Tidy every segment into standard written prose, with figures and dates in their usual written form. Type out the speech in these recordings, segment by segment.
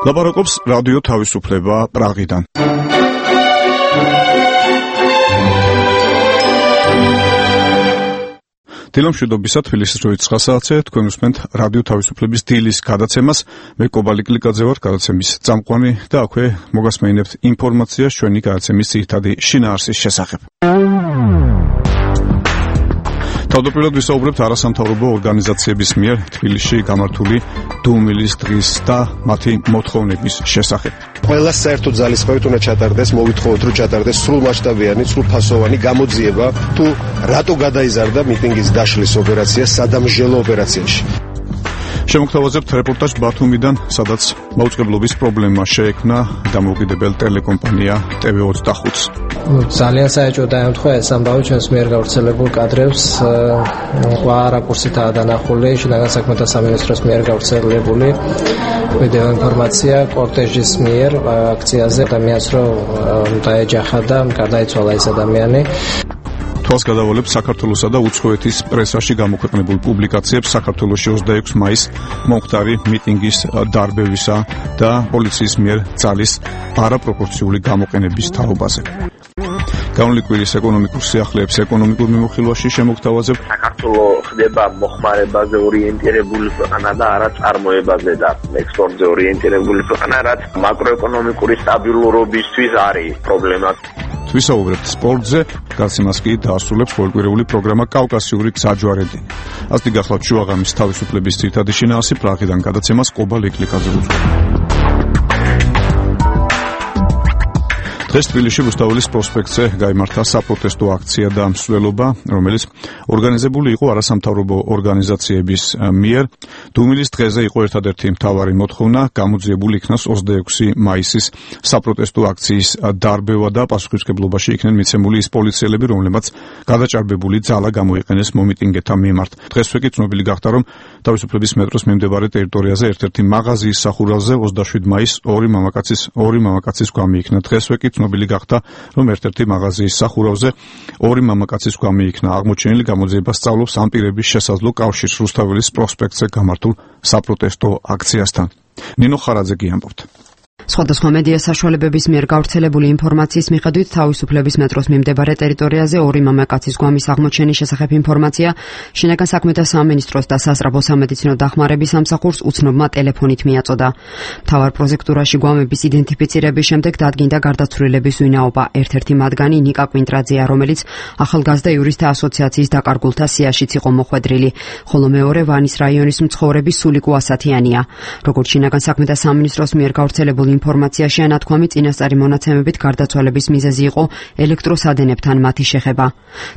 ლაპარაკობს რადიო თავისუფლება პრაღიდან. დილომშვიდობისა თბილისის 9 საათზე თქვენ უსმენთ რადიო თავისუფლების დილის გადაცემას. მე კობალი კლიკაძე ვარ, გადაცემის წამყვანი და აქვე მოგასმენებთ ინფორმაციას ჩვენი გადაცემის ძირითადი შინაარსის შესახებ. თავდაპირველად ვისაუბრებთ არასამთავრობო ორგანიზაციების მიერ თბილისში გამართული დუმილის დღის და მათი მოთხოვნების შესახებ. ყველა საერთო ძალისხმევით უნდა ჩატარდეს, მოვითხოვოთ რომ ჩატარდეს სრულმასშტაბიანი, სრულფასოვანი გამოძიება თუ რატო გადაიზარდა მიტინგის დაშლის ოპერაცია სადამჟელო ოპერაციაში. შემოგთავაზებთ რეპორტაჟ ბათუმიდან, სადაც მაუწყებლობის პრობლემა შეექმნა დამოუკიდებელ ტელეკომპანია TV25-ს. ძალიან საეჭვო დაემთხვა ეს ამბავი ჩვენს მიერ გავრცელებულ კადრებს სხვა რაკურსითაა დანახული, შინაგან საქმეთა სამინისტროს მიერ გავრცელებული ვიდეო ინფორმაცია კორტეჟის მიერ აქციაზე ადამიანს რომ დაეჯახა და გადაიცვალა ეს ადამიანი. თვალს გადავალებს საქართველოსა და უცხოეთის პრესაში გამოქვეყნებულ პუბლიკაციებს საქართველოში 26 მაისს მომხდარი მიტინგის დარბევისა და პოლიციის მიერ ძალის არაპროპორციული გამოყენების თაობაზე. განვლილი კვირის ეკონომიკურ სიახლეებს ეკონომიკურ მიმოხილვაში შემოგთავაზებთ. საქართველოს ხდება მოხმარებაზე ორიენტირებული ქვეყანა და არა წარმოებაზე და ექსპორტზე ორიენტირებული ქვეყანა, რაც მაკროეკონომიკური სტაბილურობისთვის არის პრობლემა. ვისაუბრებთ სპორტზე, გარს იმას კი დაასრულებს ყოველკვირეული პროგრამა კავკასიური გზაჯვარედინი. ასეთი გახლავთ შუაღამის თავისუფლების ძირითადი შინაარსი პრაღიდან გადაცემას კობალი კლიკაძე უძღვება. დღეს თბილისში რუსთაველის პროსპექტზე გაიმართა საპროტესტო აქცია და მსვლელობა, რომელიც ორგანიზებული იყო არასამთავრობო ორგანიზაციების მიერ. დუმილის დღეზე იყო ერთადერთი მთავარი მოთხოვნა, გამოძიებული იქნას 26 მაისის საპროტესტო აქციის დარბევა და პასუხისმგებლობაში იქნენ მიცემული ის პოლიციელები, რომლებმაც გადაჭარბებული ძალა გამოიყენეს მომიტინგეთა მიმართ. დღესვე კი ცნობილი გახდა, რომ თავისუფლების მეტროს მიმდებარე ტერიტორიაზე ერთ-ერთი მაღაზიის სახურავზე 27 მაისს ორი მამაკაცის გვამი იქნა. დღესვე კი ცნობილი გახდა, რომ ერთ-ერთი მაღაზიის სახურავზე ორი მამაკაცის გვამი იქნა. აღმოჩენილი გამოძიება სწავლობს ამ პირების შესაძლო კავშირს რუსთაველის პროსპექტზე გამართულ საპროტესტო აქციასთან. ნინო ხარაძე ამბობთ. სხვადასხვა მედია საშუალებების მიერ გავრცელებული ინფორმაციის მიხედვით თავისუფლების მეტროს მიმდებარე ტერიტორიაზე ორი მამაკაცის გვამის აღმოჩენის შესახებ ინფორმაცია შინაგან საქმეთა სამინისტროს და სასწრაფო სამედიცინო დახმარების სამსახურს უცნობმა ტელეფონით მიაწოდა. მთავარ პროზექტურაში გვამების იდენტიფიცირების შემდეგ დადგინდა გარდაცვლილების ვინაობა. ერთ-ერთი მათგანი ნიკა კვინტრაძეა, რომელიც ახალგაზრდა იურისტთა ასოციაციის დაკარგულთა სიაშიც იყო მოხვედრილი, ხოლო მეორე ვანის რაიონის მცხოვრები სულიკო ასათიანია. როგორც შინაგან საქმეთა სამინისტროს მიერ გავრცელებულ ინფორმაციაში ანათქვამი წინასწარი მონაცემებით გარდაცვალების მიზეზი იყო ელექტროსადენებთან მათი შეხება.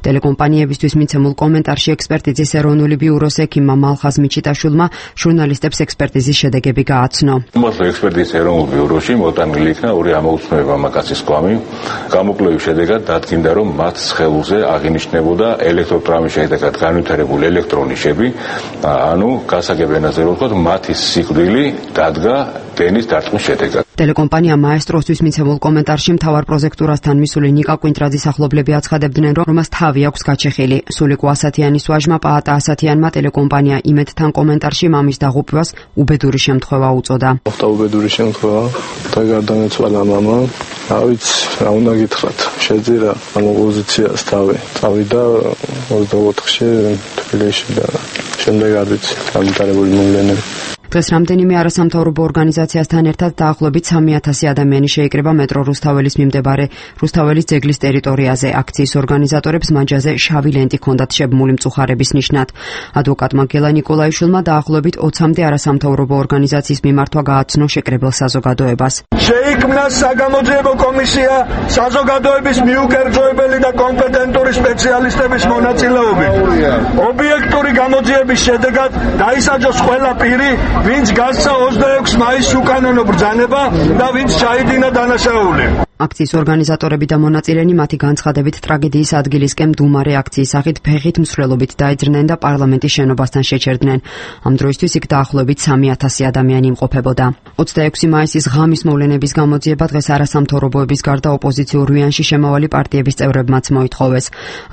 ტელეკომპანიებისთვის მიცემულ კომენტარში ექსპერტიზის ეროვნული ბიუროს ექიმმა მალხაზ მიჩიტაშვილმა ჟურნალისტებს ექსპერტიზის შედეგები გააცნო. ექსპერტიზის ეროვნულ ბიუროში მოტანილი იქნა ორი ამოუცნობი მამაკაცის გვამი. გამოკვლევის შედეგად დადგინდა, რომ მათ სხეულზე აღინიშნებოდა ელექტროტრავმის შედეგად განვითარებული ელექტრონიშები, ანუ გასაგებ ენაზე რომ ვთქვათ, მათი სიკვდილი დადგა დენის დარტყმის შედეგად. ტელეკომპანია მაესტროსთვის მიცემულ კომენტარში მთავარ პროზექტურასთან მისული ნიკა კვინტრაძის ახლობლები აცხადებდნენ, რომ მას თავი აქვს გაჩეხილი. სულიკო ასათიანის ვაჟმა პაატა ასათიანმა ტელეკომპანია იმედთან კომენტარში მამის დაღუპვას უბედური შემთხვევა უწოდა. მოხდა უბედური შემთხვევა და გარდამეცვალა მამა. რა უნდა გითხრათ, შეძირა ამ პოზიციას თავი. წავიდა 24-ში თბილისში და შემდეგ არ ვიცი, გამიტარებული მოვლენები. დღეს რამდენიმე არასამთავრობო ორგანიზაციასთან ერთად დაახლოებით 3000 ადამიანი შეიკრება მეტრო რუსთაველის მიმდებარე რუსთაველის ძეგლის ტერიტორიაზე. აქციის ორგანიზატორებს მანჯაზე შავი ლენტი ჰქონდათ შებმული მწუხარების ნიშნად. ადვოკატმა გელა ნიკოლაიშვილმა დაახლოებით 20-მდე არასამთავრობო ორგანიზაციის მიმართვა გააცნო შეკრებილ საზოგადოებას. შეიქმნა საგამოძიებო კომისია საზოგადოების მიუკერძოებელი და კომპეტენტური სპეციალისტების მონაწილეობით. ობიექტური გამოძიების შედეგად დაისაჯოს ყველა პირი, ვინც გასცა 26 მაისს უკანონო ბრძანება და ვინც ჩაიდინა დანაშაული. აქციის ორგანიზატორები და მონაწილენი მათი განცხადებით ტრაგედიის ადგილისკენ მდუმარე აქციის სახით ფეხით მსვლელობით დაიძრნენ და პარლამენტის შენობასთან შეჩერდნენ. ამ დროისთვის იქ დაახლოებით 3000 ადამიანი იმყოფებოდა. 26 მაისის ღამის მოვლენების გამოძიება დღეს არასამთავრობოების გარდა ოპოზიციურ ვიანში შემავალი პარტიების წევრებმაც მოითხოვეს.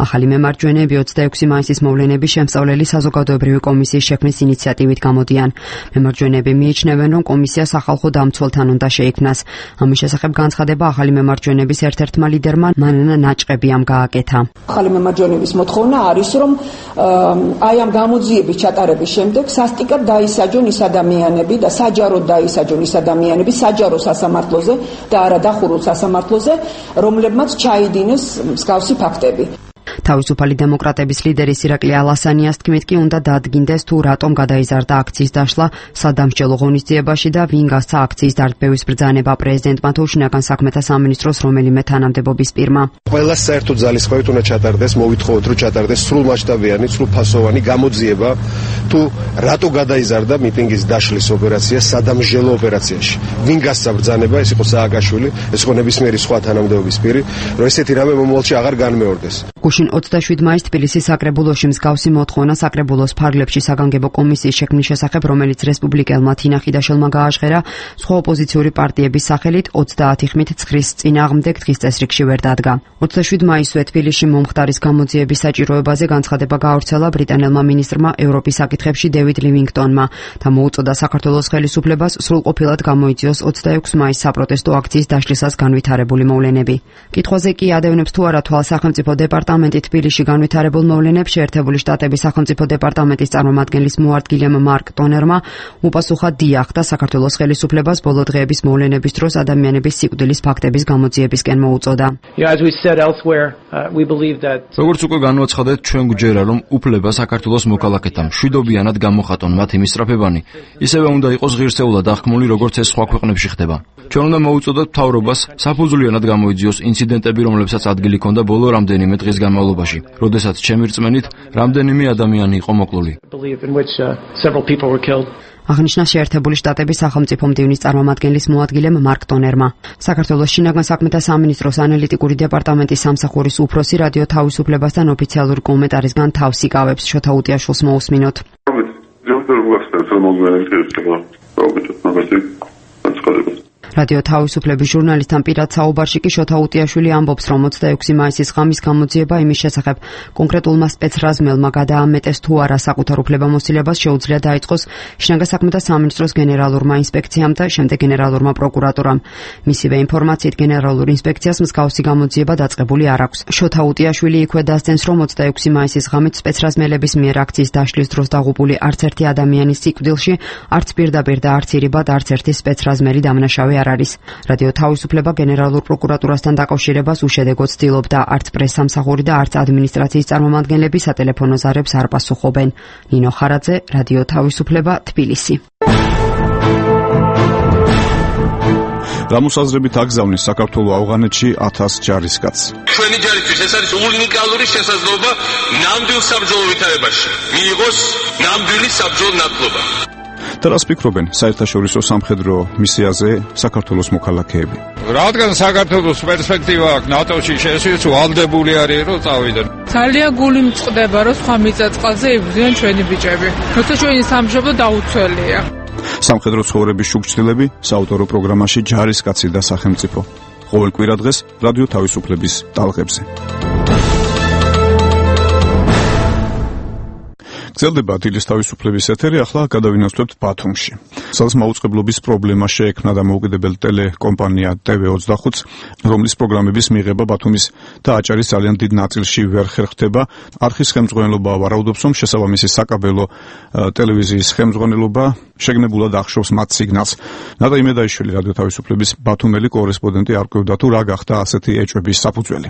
ახალი მემარჯვენეები 26 მაისის მოვლენების შემსწავლელი საზოგადოებრივი კომისიის შექმნის ინიციატივით გამოდიან. მემარჯვენეები მიიჩნევენ, რომ კომისია სახალხო დამცველთან უნდა შეიქმნას. ამის შესახებ განცხადება ახალი მემარჯვენეების ერთ-ერთმა ლიდერმა მანანა ნაჭყებიამ გააკეთა. ახალი მემარჯვენეების მოთხოვნა არის, რომ აი ამ გამოძიების ჩატარების შემდეგ სასტიკად დაისაჯონ ის ადამიანები და საჯაროდ დაისაჯონ ის ადამიანები საჯარო სასამართლოზე და არა დახურულ სასამართლოზე, რომლებმაც ჩაიდინეს მსგავსი ფაქტები. თავისუფალი დემოკრატების ლიდერის ირაკლი ალასანიას თქმით კი უნდა დადგინდეს თუ რატომ გადაიზარდა აქციის დაშლა სადამსჯელო ღონისძიებაში და ვინ გასცა აქციის დარდბევის ბრძანება პრეზიდენტმა თუ შინაგან საქმეთა სამინისტროს რომელიმე თანამდებობის პირმა. ყველა საერთო ძალისხმევით უნდა ჩატარდეს, მოვითხოვოთ, რომ ჩატარდეს სრულმასშტაბიანი, სრულფასოვანი გამოძიება თუ რატო გადაიზარდა მიტინგის დაშლის ოპერაცია სადამსჯელო ოპერაციაში. ვინ გასცა ბრძანება, ეს იყო სააკაშვილი, ეს იყო ნებისმიერი სხვა თანამდებობის პირი, რომ ესეთი რამე მომავალში აღარ განმეორდეს. გუშინ 27 მაისს თბილისის საკრებულოში მსგავსი მოთხოვნა საკრებულოს ფარგლებში საგანგებო კომისიის შექმნის შესახებ, რომელიც რესპუბლიკელმა თინა ხიდაშელმა გააჟღერა, სხვა ოპოზიციური პარტიების სახელით 30 ხმით ცხრის წინააღმდეგ დღის წესრიგში ვერ დადგა. 27 მაისზე თბილისში მომხდარის გამოძიების საჭიროებაზე განცხადება გაავრცელა ბრიტანელმა მინისტრმა ევროპის საკითხებში დევიდ ლივინგტონმა და მოუწოდა საქართველოს ხელისუფლებას სრულყოფილად გამოიწვიოს 26 მაისის საპროტესტო აქციის დაშლისას განვითარებული მოვლენები. კითხვაზე კი ადევნებს თუ არა თვალს სახელმწიფო დეპარტამენტი თბილისში განვითარებულ მოვლენებს შეერთებული შტატების სახელმწიფო დეპარტამენტის წარმომადგენლის მოადგილემ მარკ ტონერმა უპასუხა დიახ და საქართველოს ხელისუფლებას ბოლო დღეების მოვლენების დროს ადამიანების სიკვდილის ფაქტების გამოძიებისკენ მოუწოდა. როგორც უკვე განვაცხადეთ, ჩვენ გვჯერა, რომ უფლება საქართველოს მოქალაქეთა მშვიდობიანად გამოხატონ მათი მისწრაფებანი, ისევე უნდა იყოს ღირსეულად აღქმული, როგორც ეს სხვა ქვეყნებში ხდება. ჩვენ უნდა მოუწოდოთ მთავრობას საფუძვლიანად გამოიძიოს ინციდენტები, რომლებსაც ადგილი ჰქონდა ბოლო რამდენიმე დღის განმავლობაში, როდესაც ჩემი რწმენით რამდენიმე ადამიანი იყო მოკლული. აღნიშნა შეერთებული შტატების სახელმწიფო მდივნის წარმომადგენლის მოადგილემ მარკ ტონერმა. საქართველოს შინაგან საქმეთა სამინისტროს ანალიტიკური დეპარტამენტის სამსახურის უფროსი რადიო თავისუფლებასთან ოფიციალური კომენტარისგან თავს იკავებს. შოთა უტიაშვილს მოусმინოთ. რადიო თავისუფლების ჟურნალისტთან პირად საუბარში კი შოთა უტიაშვილი ამბობს, რომ 26 მაისის ღამის გამოძიება იმის შესახებ კონკრეტულმა სპეცრაზმელმა გადაამეტეს თუ არა საკუთარ უფლებამოსილებას შეუძლია დაიწყოს შინაგან საქმეთა სამინისტროს გენერალურმა ინსპექციამ და შემდეგ გენერალურმა პროკურატურამ. მისივე ინფორმაციით გენერალურ ინსპექციას მსგავსი გამოძიება დაწყებული არ აქვს. შოთა უტიაშვილი იქვე დასძენს, რომ 26 მაისის ღამით სპეცრაზმელების მიერ აქციის დაშლის დროს დაღუპული არც ერთი ადამიანის სიკვდილში არც პირდაპირ და არც ირიბად არც ერთი სპეცრაზმელი დამნაშავე არ არის. რადიო თავისუფლება გენერალურ პროკურატურასთან დაკავშირებას უშედეგოდ ცდილობდა, არც პრესსამსახური და არც ადმინისტრაციის წარმომადგენლები სატელეფონო ზარებს არ პასუხობენ. ნინო ხარაძე, რადიო თავისუფლება, თბილისი. გამოსაზრებით აგზავნის საქართველოს ავღანეთში 1000 ჯარისკაცს. ჩვენი ჯარისთვის ეს არის უნიკალური შესაძლებლობა ნამდვილ საბრძოლო ვითარებაში მიიღოს ნამდვილი საბრძოლო ნათლობა. და რას ფიქრობენ საერთაშორისო სამხედრო მისიაზე საქართველოს მოქალაქეები? რადგან საქართველოს პერსპექტივა აქვს ნატოში შესვლის, ვალდებული არის რომ წავიდონ. ძალიან გული მწყდება, რომ სხვა მიწა-წყალზე იბრძვიან ჩვენი ბიჭები. როცა ჩვენი სამშობლო დაუცველია. სამხედრო ცხოვრების შუქჩილები საავტორო პროგრამაში ჯარისკაცი და სახელმწიფო. ყოველ კვირა დღეს რადიო თავისუფლების ტალღებზე. გრძელდება დილის თავისუფლების ეთერი, ახლა გადავინაცვლებთ ბათუმში. სადაც მაუწყებლობის პრობლემა შეექმნა და მოუკიდებელ ტელეკომპანია TV25-ს, რომლის პროგრამების მიღება ბათუმის და აჭარის ძალიან დიდ ნაწილში ვერ ხერხდება. არხის ხელმძღვანელობა ვარაუდობს, რომ შესაბამისი საკაბელო ტელევიზიის ხელმძღვანელობა შეგნებულად ახშობს მათ სიგნალს. ნატა იმედაიშვილი, რადიო თავისუფლების ბათუმელი კორესპონდენტი არკვევდა თუ რა გახდა ასეთი ეჭვების საფუძველი.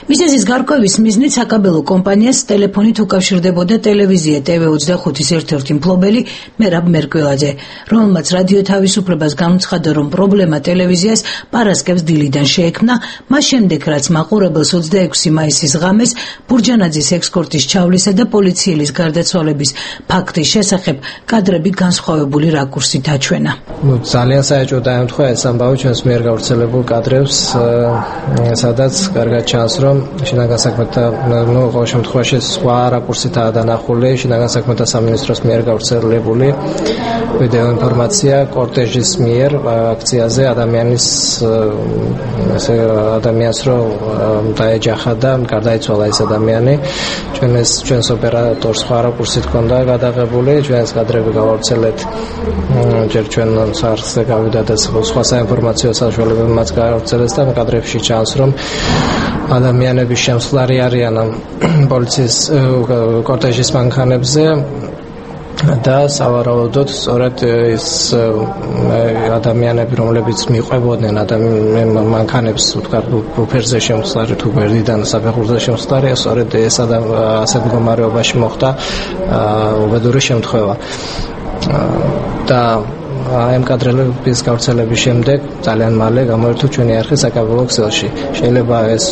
მისეზის გარკვევის მიზნით საკაბელო კომპანიას ტელეფონით უკავშირდებოდა ტელევიზია ამბობია TV25-ის ერთ-ერთი მფლობელი მერაბ მერკველაძე, რომელმაც რადიო თავისუფლებას განუცხადა, რომ პრობლემა ტელევიზიას პარასკევს დილიდან შეექმნა, მას შემდეგ რაც მაყურებელს 26 მაისის ღამეს ბურჯანაძის ექსკორტის ჩავლისა და პოლიციელის გარდაცვალების ფაქტის შესახებ კადრები განსხვავებული რაკურსით აჩვენა. ძალიან საეჭვო დაემთხვა ეს ამბავი ჩვენს მიერ გავრცელებულ კადრებს, სადაც კარგად ჩანს, რომ შინაგან საქმეთა ყოველ შემთხვევაში სხვა რაკურსითაა დანახული შინაგან საქმეთა სამინისტროს მიერ გავრცელებული ვიდეო ინფორმაცია კორტეჟის მიერ აქციაზე ადამიანს რომ დაეჯახა და გარდაიცვალა ეს ადამიანი. ჩვენს ოპერატორს სხვა რაკურსით ჰქონდა გადაღებული, ჩვენს კადრები გავავრცელეთ ჯერ ჩვენ სახლზე გავიდა და სხვა საინფორმაციო საშუალებები მათ გაავრცელეს და კადრებში ჩანს, რომ ადამიანების შემსვლარი არიან პოლიციის კორტეჟის მანქანებზე და სავარაუდოდ სწორედ ეს ადამიანები, რომლებიც მიყვებოდნენ მანქანებს, ვთქვათ, უფერზე შემსვლარი თუ გვერდიდან საფეხურზე შემსვლარი, სწორედ ეს ასეთ მდგომარეობაში მოხდა უბედური შემთხვევა. და ამ კადრების გავრცელების შემდეგ ძალიან მალე გამოერთო ჩვენი არხი საკაბელო ქსელში. შეიძლება ეს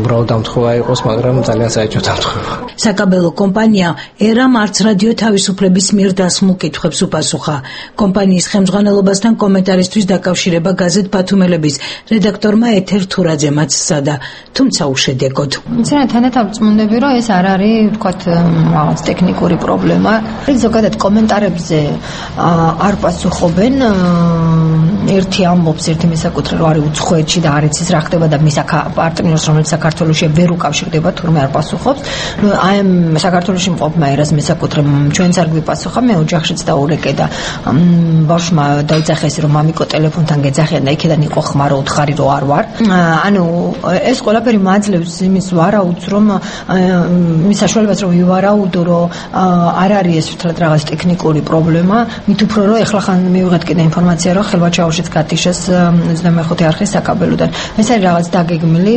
უბრალოდ დამთხევა იყოს, მაგრამ ძალიან საეჭვო დამთხევა. საკაბელო კომპანია ერამ არც რადიო თავისუფლების მიერ დასმულ კითხვებს უპასუხა. კომპანიის ხელმძღვანელობასთან კომენტარისთვის დაკავშირება გაზეთ ბათუმელების რედაქტორმა ეთერ თურაძემაც სცადა, თუმცა უშედეგოდ. თანათავმწმუნდები, რომ ეს არ არის, ვთქვათ, რაღაც ტექნიკური პრობლემა. ზოგადად კომენტარებზე არ პასუხობენ. ერთი ამბობს, ერთი მისაკუთრე, რომ არის უცხოეთში და არ იცის რა ხდება და მის პარტნიორს, რომელიც საქართველოში ვერ უკავშირდება, თურმე არ პასუხობს. აი ამ საქართველოში მყოფმა ერას მისაკუთრე ჩვენც არ გვიპასუხა, მე ოჯახშიც დაურეკე და ბავშვმა დაიძახა ეს, რომ მამიკო ტელეფონთან გეძახიან და იქიდან იყო ხმარო უთხარი, რომ არ ვარ. ანუ ეს ყველაფერი მაძლევს იმის ვარაუდს, რომ მის საშუალებას რომ ვივარაუდო, რომ არ არის ეს ვთქვათ რაღაც ტექნიკური პრობლემა, მით უფრო რომ ეხლა ხან მივიღეთ კიდე ინფორმაცია, რომ ხელვაჩაურშიც გათიშეს 25 არხის საკაბელოდან. ეს არის რაღაც დაგეგმილი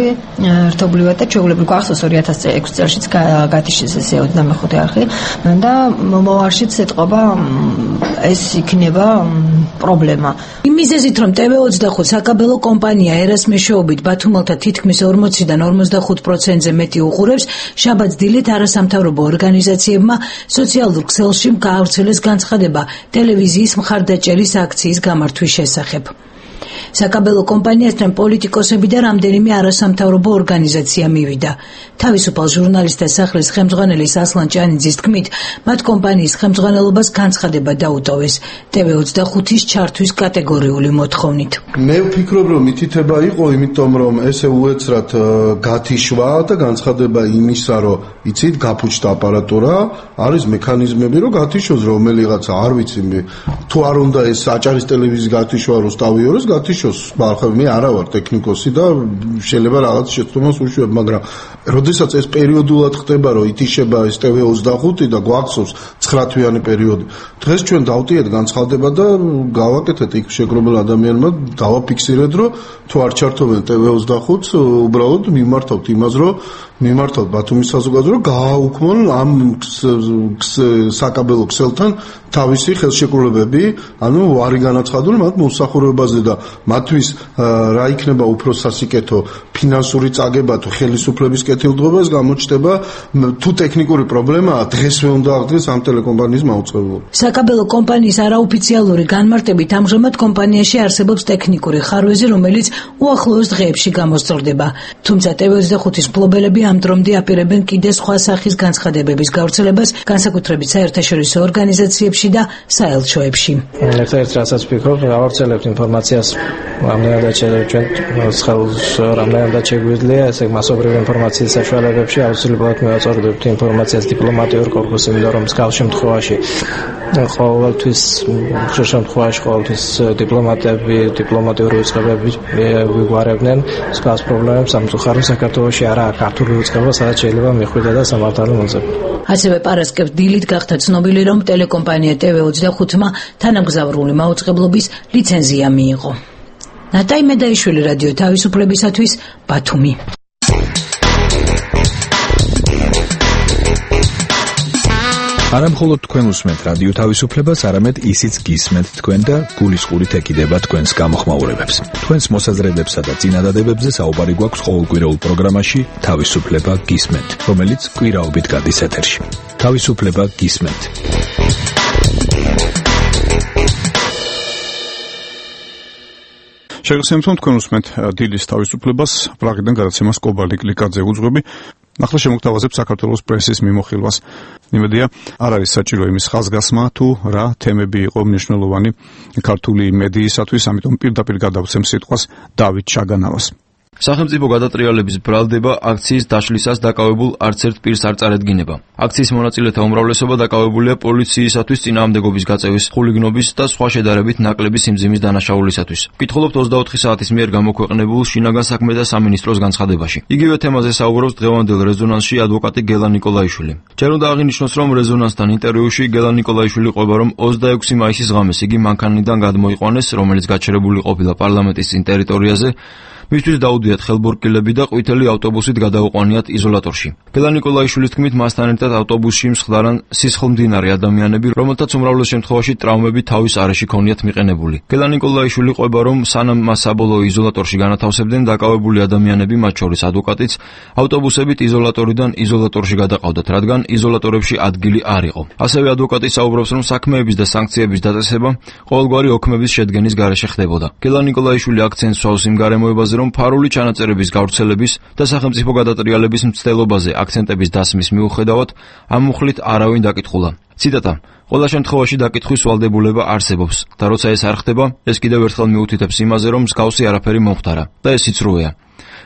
ერთობლივად და ჩვეულებრივ გახსოვს 2006 წელშიც გათიშეს ეს 25 არხი და მომავალშიც ეთყობა ეს იქნება პრობლემა. იმ მიზეზით, რომ TV25 საკაბელო კომპანია ერას მეშვეობით ბათუმელთა თითქმის 40-დან 55%-ზე მეტი უყურებს, შაბათს დილით არასამთავრობო ორგანიზაციებმა სოციალურ ქსელში გაავრცელეს განცხადება ტელევიზიის მხარდაჭერის აქციის გამართვის შესახებ. საკაბელო კომპანიასთან პოლიტიკოსები და რამდენიმე არასამთავრობო ორგანიზაცია მივიდა. თავისუფალ ჟურნალისტთა სახლის ხელმძღვანელის ასლან ჭანიძის თქმით, მათ კომპანიის ხელმძღვანელობას განცხადება დაუტოვეს TV25-ის ჩართვის კატეგორიული მოთხოვნით. მე ვფიქრობ, რომ მითითება იყო, იმიტომ რომ ესე უეცრად გათიშვა და განცხადება იმისა, რომ იცით, გაფუჭდა აპარატურა, არის მექანიზმები, რომ გათიშოს რომელიღაცა, არ ვიცი მე, თუ არ უნდა ეს აჭარის ტელევიზიის გათიშვა რო სტავიოროს, გათიშოს. მე არა ვარ ტექნიკოსი და შეიძლება რაღაც შეცდომას უშვებ, მაგრამ როდესაც ეს პერიოდულად ხდება, რომ ითიშება ეს TV25 და გვახსოვს 9 თვიანი პერიოდი. დღეს ჩვენ დავტიეთ განცხადება და გავაკეთეთ იქ შეგროვებულ ადამიანმა, დავაფიქსირეთ, რომ თუ არ ჩართობენ TV25-ს, უბრალოდ მიმართავთ იმას, რომ მიმართავთ ბათუმის საზოგადოებას, რომ გააუქმონ ამ საკაბელო ქსელთან თავისი ხელშეკრულებები, ანუ არის განაცხადული მათ მოსახურებაზე და მათთვის რა იქნება უფრო სასიკეთო ფინანსური წაგება თუ ხელისუფლების კეთილდღეობა, ეს გამოჩნდება თუ ტექნიკური პრობლემაა, დღესვე უნდა აღდგეს ამ ტელეკომპანიის მაუწყებლობა. საკაბელო კომპანიის არაოფიციალური განმარტებით ამჟამად კომპანიაში არსებობს ტექნიკური ხარვეზი, რომელიც უახლოეს დღეებში გამოსწორდება. თუმცა TV25-ის მფლობელები ამ დრომდე აპირებენ კიდე სხვა სახის განცხადებების გავრცელებას, განსაკუთრებით საერთაშორისო ორგანიზაციებში და საელჩოებში. ერთ-ერთ რასაც ვფიქრობ, გავავრცელებთ ინფორმაციას რამდენადაც რამდენადაც შეგვიძლია, ესე მასობრივი ინფორმაციის საშუალებებში აუცილებლად მევაწოდებთ ინფორმაციას დიპლომატიურ კორპუსს, იმიტომ რომ მსგავს შემთხვევაში ყოველთვის დიპლომატები, დიპლომატიური უწყებები ვიგვარებდნენ მსგავს პრობლემებს. სამწუხაროდ საქართველოში არაა ქართული უწყება, სადაც შეიძლება მიხვიდე და სამართალი მოძებნო. ასევე პარასკევს დილით გახდა ცნობილი, რომ ტელეკომპანია TV25-მა თანამგზავრული მაუწყებლობის ლიცენზია მიიღო. ნატაი მედაიშვილი, რადიო თავისუფლებისათვის, ბათუმი. არა მხოლოდ თქვენ უსმენთ რადიო თავისუფლებას, არამედ ისიც გისმენთ თქვენ და გულისყურით ეკიდება თქვენს გამოხმაურებებს. თქვენს მოსაზრებებსა და წინადადებებზე საუბარი გვაქვს ყოველკვირეულ პროგრამაში თავისუფლება გისმენთ, რომელიც კვირაობით გადის ეთერში. თავისუფლება გისმენთ. შეგახსენებთ, თქვენ უსმენთ დილის თავისუფლებას, პრაღიდან გადაცემას კობალდი კლიკაძე უძღვები. ახლა შემოგთავაზებ საქართველოს პრესის მიმოხილვას. იმედია, არ არის საჭირო იმის ხაზგასმა, თუ რა თემები იყო მნიშვნელოვანი ქართული მედიისათვის, ამიტომ პირდაპირ გადავცემ სიტყვას დავით ჩაგანავას. სახელმწიფო გადატრიალების ბრალდება აქციის დაშლისას დაკავებულ არც ერთ პირს არ წარედგინება. აქციის მონაწილეთა უმრავლესობა დაკავებულია პოლიციისათვის წინააღმდეგობის გაწევის, ხულიგნობის და სხვა შედარებით ნაკლები სიმძიმის დანაშაულისათვის. ვკითხულობთ 24 საათის მიერ გამოქვეყნებულ შინაგან საქმეთა სამინისტროს განცხადებაში. იგივე თემაზე საუბრობს დღევანდელ რეზონანსში ადვოკატი გელა ნიკოლაიშვილი. ჯერ უნდა აღინიშნოს, რომ რეზონანსთან ინტერვიუში გელა ნიკოლაიშვილი ყვება, რომ 26 მაისის ღამეს იგი მანქანიდან გადმოიყვანეს, რომელიც გაჩერებული ყოფილა პარლამენტის წინ ტერიტორიაზე. მისთვის დაუდიათ ხელბორკილები და ყვითელი ავტობუსით გადაუყვანიათ იზოლატორში. გელა ნიკოლაიშვილის თქმით, მასთან ერთად ავტობუსში მსხდარან სისხლმდიდარი ადამიანები, რომელთაც უმრავლეს შემთხვევაში ტრავმები თავის არეში ქონიათ მიყენებული. გელა ნიკოლაიშვილი ყვება, რომ სანამ მას საბოლოო იზოლატორში განათავსებდნენ, დაკავებული ადამიანები, მათ შორის ადვოკატიც, ავტობუსებით იზოლატორიდან იზოლატორში გადაყავდათ, რადგან იზოლატორებში ადგილი არ იყო. ასევე ადვოკატი საუბრობს, რომ საქმეების და სანქციების დაწესება ყოველგვარი ოქმების შედგენის გარეშე ხდებოდა. გელა ნიკოლაიშვილი აქცენტს სვავს იმ გარემოებაზე, რომ ფარული ჩანაწერების გავრცელების და სახელმწიფო გადატრიალების მცდელობაზე აქცენტების დასმის მიუხედავად ამ მუხლით არავინ დაკითხულა. ციტატა: ყველა შემთხვევაში დაკითხვის ვალდებულება არსებობს და როცა ეს არ ხდება, ეს კიდევ ერთხელ მიუთითებს იმაზე, რომ მსგავსი არაფერი მომხდარა და ეს იწრუეა.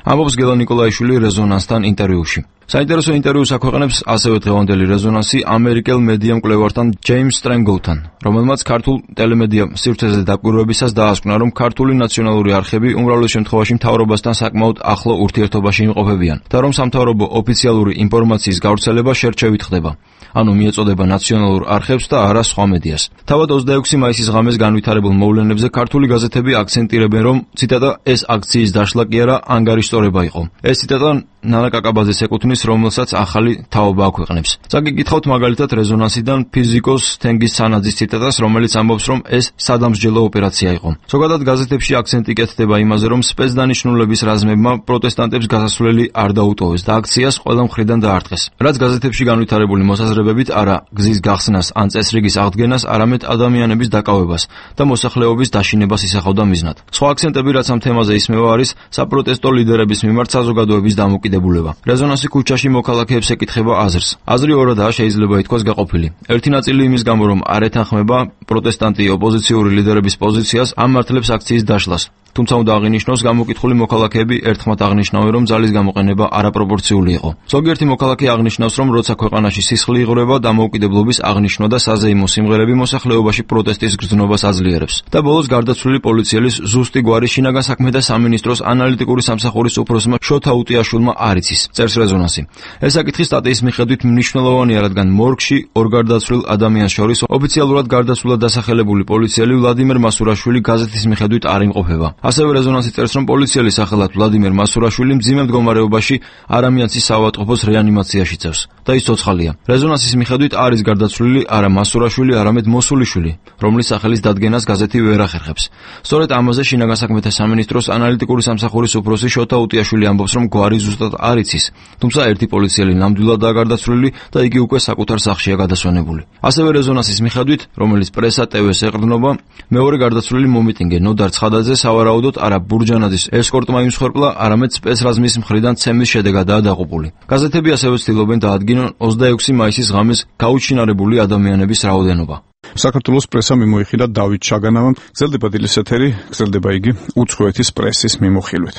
ამბობს გელა ნიკოლაიშვილი რეზონანსთან ინტერვიუში. საინტერესო ინტერვიუს აქვეყნებს ასევე დღევანდელი რეზონანსი ამერიკელ მედია მკვლევართან ჯეიმს სტრენგოუთთან, რომელმაც ქართულ ტელემედია სივრცეზე დაკვირვებისას დაასკვნა, რომ ქართული ნაციონალური არხები უმრავლეს შემთხვევაში მთავრობასთან საკმაოდ ახლო ურთიერთობაში იმყოფებიან და რომ სამთავრობო ოფიციალური ინფორმაციის გავრცელება შერჩევით ხდება. ანუ მიეწოდება ნაციონალურ არხებს და არა სხვა მედიას. თავად 26 მაისის ღამეს განვითარებულ მოვლენებზე ქართული გაზეთები აქცენტირებენ, რომ ციტატა ეს აქციის დაშლა კი არა ანგარიშწორება იყო. ეს ციტატა ნანა კაკაბაძეს ეკუთვნის, რომელსაც ახალი თაობა აქვეყნებს. წაგიკითხავთ მაგალითად რეზონანსიდან ფიზიკოს თენგის სანაძის ციტატას, რომელიც ამბობს, რომ ეს სადამსჯელო ოპერაცია იყო. ზოგადად გაზეთებში აქცენტი კეთდება იმაზე, რომ სპეცდანიშნულების რაზმებმა პროტესტანტებს გასასვლელი არ დაუტოვეს და აქციას ყველა მხრიდან დაარტყეს. რაც გაზეთებში განვითარებული მოსაზრებებით არა გზის გახსნას ან წესრიგის აღდგენას, არამედ ადამიანების დაკავებას და მოსახლეობის დაშინებას ისახავდა მიზნად. სხვა აქცენტები, რაც ამ თემაზე ისმევა, არის საპროტესტო ლიდერების მიმართ საზოგადოების დამოკიდებულება. რეზონანსი ქუჩაში მოქალაქეებს ეკითხება აზრს. აზრი ორადაა შეიძლება ითქვას გაყოფილი. ერთი ნაწილი იმის გამო, რომ არ ეთანხმება პროტესტანტი ოპოზიციური ლიდერების პოზიციას, ამართლებს აქციის დაშლას. თუმცა უნდა აღინიშნოს, გამოკითხული მოქალაქეები ერთხმად აღნიშნავენ, რომ ძალის გამოყენება არაპროპორციული იყო. ზოგიერთი მოქალაქე აღნიშნავს, რომ როცა ქვეყანაში სისხლი იღრება, დამოუკიდებლობის აღნიშვნა და საზეიმო სიმღერები მოსახლეობაში პროტესტის გრძნობას აძლიერებს. და ბოლოს გარდაცვლილი პოლიციელის ზუსტი გვარი შინაგან საქმეთა სამინისტროს ანალიტიკური სამსახურის უფროსმა შოთა უტიაშვილმა არ იცის, წერს რეზონანსი. ეს საკითხი სტატიის მიხედვით მნიშვნელოვანია, რადგან მორგში ორ გარდაცვლილ ადამიანს შორის ოფიციალურად გარდაცვლილად დასახელებული პოლიციელი ვლადიმერ მასურაშვილი გაზეთის მიხედვით არ იმყოფება. ასევე რეზონანსი წერს, რომ პოლიციელის სახელად ვლადიმერ მასურაშვილი მძიმე მდგომარეობაში არამიანცის საავადმყოფოს რეანიმაციაში წევს და ის ცოცხალია. რეზონანსის მიხედვით არის გარდაცვლილი არა მასურაშვილი, არამედ მოსულიშვილი, რომლის სახელის დადგენას გაზეთი ვერ ახერხებს. სწორედ ამაზე შინაგან საქმეთა სამინისტროს ანალიტიკური სამსახურის უფროსი შოთა უტიაშვილი ამბობს, რომ გვარი ზუსტად არ იცის, თუმცა ერთი პოლიციელი ნამდვილადაა გარდაცვლილი და იგი უკვე საკუთარ სახლშია გადასვენებული. ასევე რეზონანსის მიხედვით, რომელიც პრესა ტვ-ს ეყრდნობა, მეორე გარდაცვლილი მომიტინგე ნოდარ ცხადაძე სავარაუდოდ არა ბურჯანაძის ესკორტმა იმსხვერპლა, არამედ სპეცრაზმის მხრიდან ცემის შედეგადაა დაღუპული. გაზეთები ასევე ცდილობენ დაადგინონ 26 მაისის ღამეს გაუჩინარებული ადამიანების რაოდენობა. საქართველოს პრესა მიმოიხილა დავით ჩაგანავამ, გრძელდება დილის ეთერი, გრძელდება იგი უცხოეთის პრესის მიმოხილვით.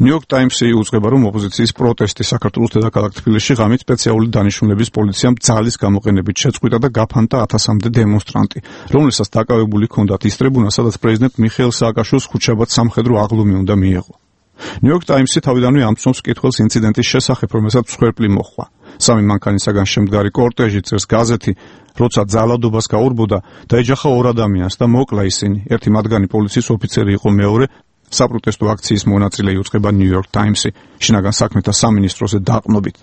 ნიუ-იორკ ტაიმსი უწყება, რომ ოპოზიციის პროტესტი საქართველოს დედაქალაქ თბილისში ღამით სპეციალური დანიშნულების პოლიციამ ძალის გამოყენებით შეწყვიტა და გაფანტა 1000-მდე დემონსტრანტი, რომელსაც დაკავებული ჰქონდათ ის ტრიბუნა, სადაც პრეზიდენტ მიხეილ სააკაშვილს ხუთშაბათ სამხედრო აღლუმი უნდა მიეღო. ნიუ-იორკ ტაიმსი თავიდანვე ამცნობს კითხვას ინციდენტის შესახებ, რომელსაც მსხვერპლი მოჰყვა. სამი მანქანისაგან შემდგარი კორტეჟი, წერს გაზეთი, როცა ძალადობას გაურბოდა, დაეჯახა ორ ადამიანს და მოკლა ისინი. ერთი მათგანი პოლიციის ოფიცერი იყო, მეორე საპროტესტო აქციის მონაწილე, იუწყება ნიუ-იორკ ტაიმსი შინაგან საქმეთა სამინისტროზე დაყრდნობით.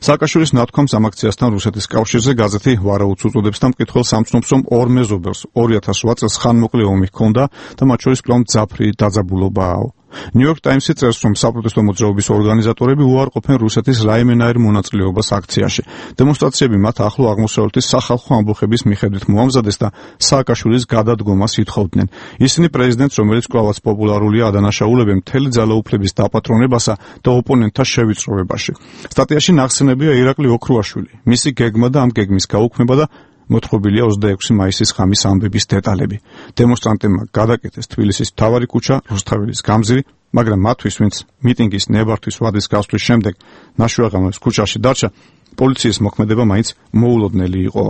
სააკაშვილის ნათქვამს ამ აქციასთან რუსეთის კავშირზე გაზეთი ვარაუდს უწოდებს და მკითხველს ამცნობს, რომ ორ მეზობელს 2008 წელს ხანმოკლე ომი ჰქონდა და მათ შორის კვლავ მძაფრი დაძაბულობაა. New York Times-ი წერს, რომ საპროტესტო მოძრაობის ორგანიზატორები უარყოფენ რუსეთის რაიმენაირ მონაწილეობას აქციაში. დემონსტრაციები მათ ახლო აღმოსავლეთის სახალხო ამბოხების მიხედვით მოამზადეს და სააკაშვილის გადადგომას ითხოვდნენ. ისინი პრეზიდენტს, რომელიც კვლავაც პოპულარულია, ადანაშაულებენ მთელი ძალაუფლების დაპატრონებასა და ოპონენტთა შევიწროვებაში. სტატიაში ნახსენებია ირაკლი ოქრუაშვილი, მისი გეგმა და ამ გეგმის გაუქმება და მოთხრობილია 26 მაისის ღამის ამბების დეტალები. დემონსტრანტებმა გადაკეთეს თბილისის მთავარი ქუჩა, რუსთაველის გამზირი, მაგრამ მათთვის, ვინც მიტინგის ნებართვის ვადის გასვლის შემდეგ ნაშუაღამოს ქუჩაში დარჩა, პოლიციის მოქმედება მაინც მოულოდნელი იყო.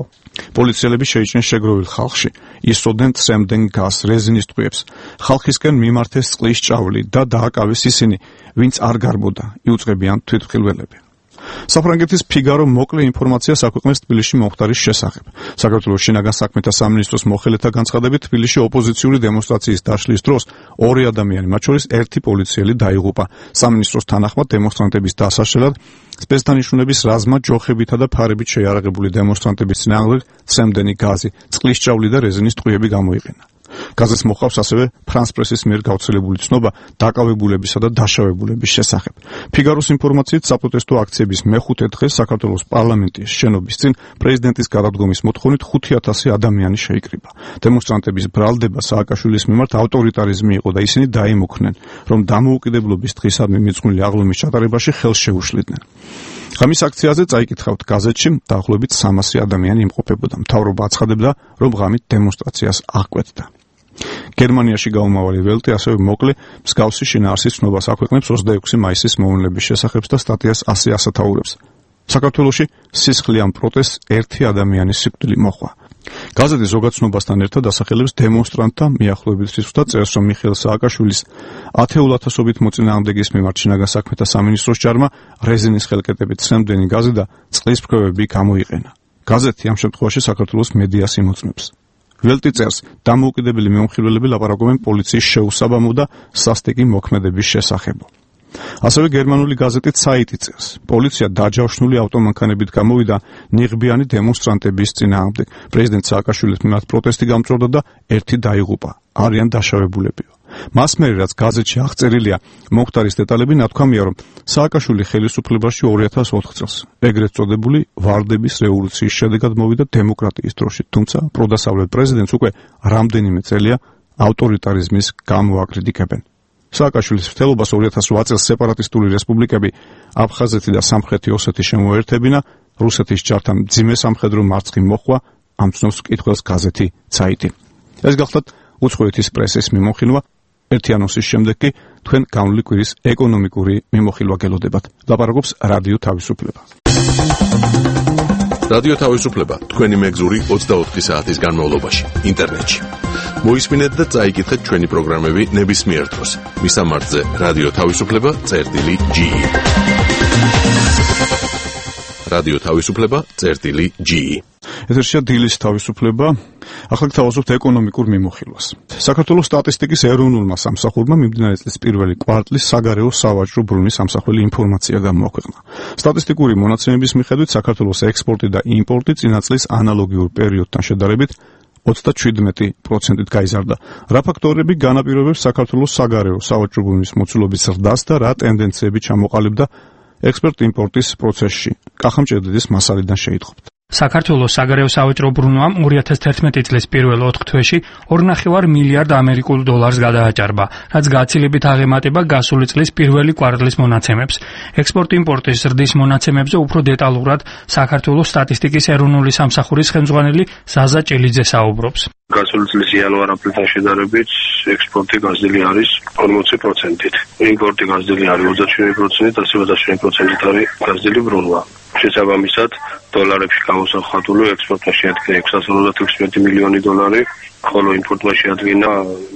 პოლიციელები შეიჭრნენ შეგროვილ ხალხში, ისროდნენ ცრემდნენ გაზს, რეზინის ტყვიებს. ხალხისკენ მიმართეს წყლის ჭავლი და დააკავეს ისინი, ვინც არ გარბოდა, იუწყებიან თვითმხილველები. საფრანგეთის ფიგარო მოკლე ინფორმაციას აქვეყნებს თბილისში მომხდარის შესახებ. საქართველოს შინაგან საქმეთა სამინისტროს მოხელეთა განცხადებით, თბილისში ოპოზიციური დემონსტრაციის დაშლის დროს ორი ადამიანი, მათ შორის ერთი პოლიციელი დაიღუპა. სამინისტროს თანახმად დემონსტრანტების დასაშლელად სპეცდანიშნულების რაზმა ჯოხებითა და ფარებით შეიარაღებული დემონსტრანტების წინააღმდეგ ცემდენი გაზი, წყლის ჭავლი და რეზინის ტყვიები გამოიყენა. გაზეთს მოყავს ასევე ფრანს პრესის მიერ გავრცელებული ცნობა დაკავებულებისა და დაშავებულების შესახებ. ფიგაროს ინფორმაციით, საპროტესტო აქციების მეხუთე დღეს საქართველოს პარლამენტის შენობის წინ პრეზიდენტის გადადგომის მოთხოვნით 5000 ადამიანი შეიკრიბა. დემონსტრანტების ბრალდება სააკაშვილის მიმართ ავტორიტარიზმი იყო და ისინი დაიმოქმნენ, რომ დამოუკიდებლობის დღისადმი მიძღვნილი აღლუმის ჩატარებაში ხელს შეუშლიდნენ. ღამის აქციაზე წაიკითხავთ გაზეთში, დაახლოებით 300 ადამიანი იმყოფებოდა. მთავრობა აცხადებდა, რომ ღამით დემონსტრაციას აღკვეთდა. გერმანიაში გაუმავალი ველტი ასევე მოკლე მსგავსი შინაარსის ცნობას აქვეყნებს 26 მაისის მოვლენების შესახებ და სტატიას ასე ასათაურებს. საქართველოში სისხლიან პროტესტს ერთი ადამიანის სიკვდილი მოჰყვა. გაზეთი ზოგადცნობასთან ერთად ასახელებს დემონსტრანტთა მიახლოებით რისკს და წერს, რომ მიხეილ სააკაშვილის 10,000-ობით მოწინააღმდეგის მიმართ შინაგან საქმეთა სამინისტროს ჯარმა რეზინის ხელკეტებით ცემდენი გაზი და წყლის ფქვევები გამოიყენა. გაზეთი ამ შემთხვევაში საქართველოს მედიას იმოწმებს. ველტი წერს, დამოუკიდებელი მიმოხილველები ლაპარაკობენ პოლიციის შეუსაბამო და სასტიკი მოქმედების შესახებ. ასევე გერმანული გაზეთი Zeit-ი წერს, პოლიცია დაჯავშნული ავტომანქანებით გამოვიდა ნიღბიანი დემონსტრანტების წინააღმდეგ. პრეზიდენტ სააკაშვილის მიმართ პროტესტი გამწვავდა და ერთი დაიღუპა. არიან დაშავებულებიო. მას მერე, რაც გაზეთში აღწერილია მომხდარის დეტალები, ნათქვამია, რომ სააკაშვილი ხელისუფლებაში 2004 წელს ეგრეთ წოდებული ვარდების რევოლუციის შედეგად მოვიდა დემოკრატიის დროში, თუმცა პროდასავლეთ პრეზიდენტს უკვე რამდენიმე წელია ავტორიტარიზმის გამოაკრიტიკებენ. სააკაშვილის მცდელობას 2008 წელს სეპარატისტული რესპუბლიკები აფხაზეთი და სამხრეთი ოსეთი შემოერთებინა, რუსეთის ჯართან მძიმე სამხედრო მარცხი მოჰყვა, ამცნობს მკითხველს გაზეთი Zeit-ი. ეს გახლდათ უცხოეთის პრესის მიმოხილვა. ერთი ანონსის შემდეგ კი თქვენ გამული კვირის ეკონომიკური მიმოხილვა გელოდებათ. ლაპარაკობს რადიო თავისუფლება. რადიო თავისუფლება თქვენი მეგზური 24 საათის განმავლობაში ინტერნეტში. მოისმინეთ და წაიკითხეთ ჩვენი პროგრამები ნებისმიერ დროს. მისამართზე რადიო თავისუფლება.ge. რადიო თავისუფლება.ge. ეთერშია დილის თავისუფლება. ახლა გთავაზობთ ეკონომიკურ მიმოხილვას. საქართველოს სტატისტიკის ეროვნულმა სამსახურმა მიმდინარე წლის პირველი კვარტლის საგარეო სავაჭრო ბრუნვის სამსახველი ინფორმაცია გამოაქვეყნა. სტატისტიკური მონაცემების მიხედვით საქართველოს ექსპორტი და იმპორტი წინა წლის ანალოგიურ პერიოდთან შედარებით 37%-ით გაიზარდა. რა ფაქტორები განაპირობებს საქართველოს საგარეო სავაჭრო ბრუნვის მოცულობის ზრდას და რა ტენდენციები ჩამოყალიბდა ექსპორტ-იმპორტის პროცესში? კახამჭედიძის მასალიდან შეიტყობთ. საქართველოს საგარეო სავაჭრო ბრუნვამ 2011 წლის პირველ 4 თვეში 2,5 მილიარდ ამერიკულ დოლარს გადააჭარბა, რაც გაცილებით აღემატება გასული წლის პირველი კვარტლის მონაცემებს. ექსპორტ-იმპორტის ზრდის მონაცემებზე უფრო დეტალურად საქართველოს სტატისტიკის ეროვნული სამსახურის ხელმძღვანელი ზაზა ჭელიძე საუბრობს. გასული წლის იანვარ-აპრილთან შედარებით ექსპორტი გაზრდილი არის 40%-ით. იმპორტი გაზრდილი არის 37%-ით, ასევე 27%-ით არის გაზრდილი ბრუნვა. შესაბამისად, დოლარებში გამოსახული ექსპორტმა შეადგინა 656 მილიონი დოლარი, ხოლო იმპორტმა შეადგინა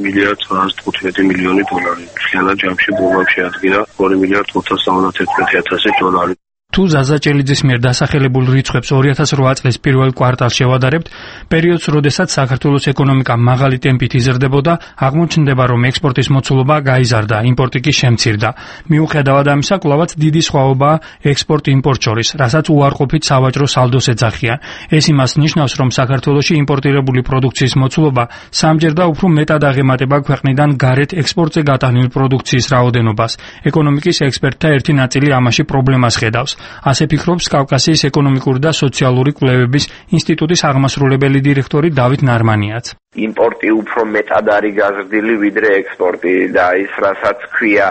1,915 მილიონი დოლარი. მთლიანად ჯამში ბრუნვამ შეადგინა 2,511,000 დოლარი. თუ ზაზა ჭელიძის მიერ დასახელებულ რიცხვებს 2008 წლის პირველ კვარტალს შევადარებთ, პერიოდს, როდესაც საქართველოს ეკონომიკა მაღალი ტემპით იზრდებოდა, აღმოჩნდება, რომ ექსპორტის მოცულობა გაიზარდა, იმპორტი კი შემცირდა. მიუხედავად ამისა, კვლავაც დიდი სხვაობაა ექსპორტ-იმპორტ შორის, რასაც უარყოფით სავაჭრო სალდოს ეძახიან. ეს იმას ნიშნავს, რომ საქართველოში იმპორტირებული პროდუქციის მოცულობა სამჯერ და უფრო მეტად აღემატება ქვეყნიდან გარეთ ექსპორტზე გატანილ პროდუქციის რაოდენობას. ეკონომიკის ექსპერტთა ერთი ნაწილი ამაში პრობლემას ხედავს. ასე ფიქრობს კავკასიის ეკონომიკური და სოციალური კვლევების ინსტიტუტის აღმასრულებელი დირექტორი დავით ნარმანიაც. იმპორტი უფრო მეტად არის გაზრდილი ვიდრე ექსპორტი და ის რასაც ქვია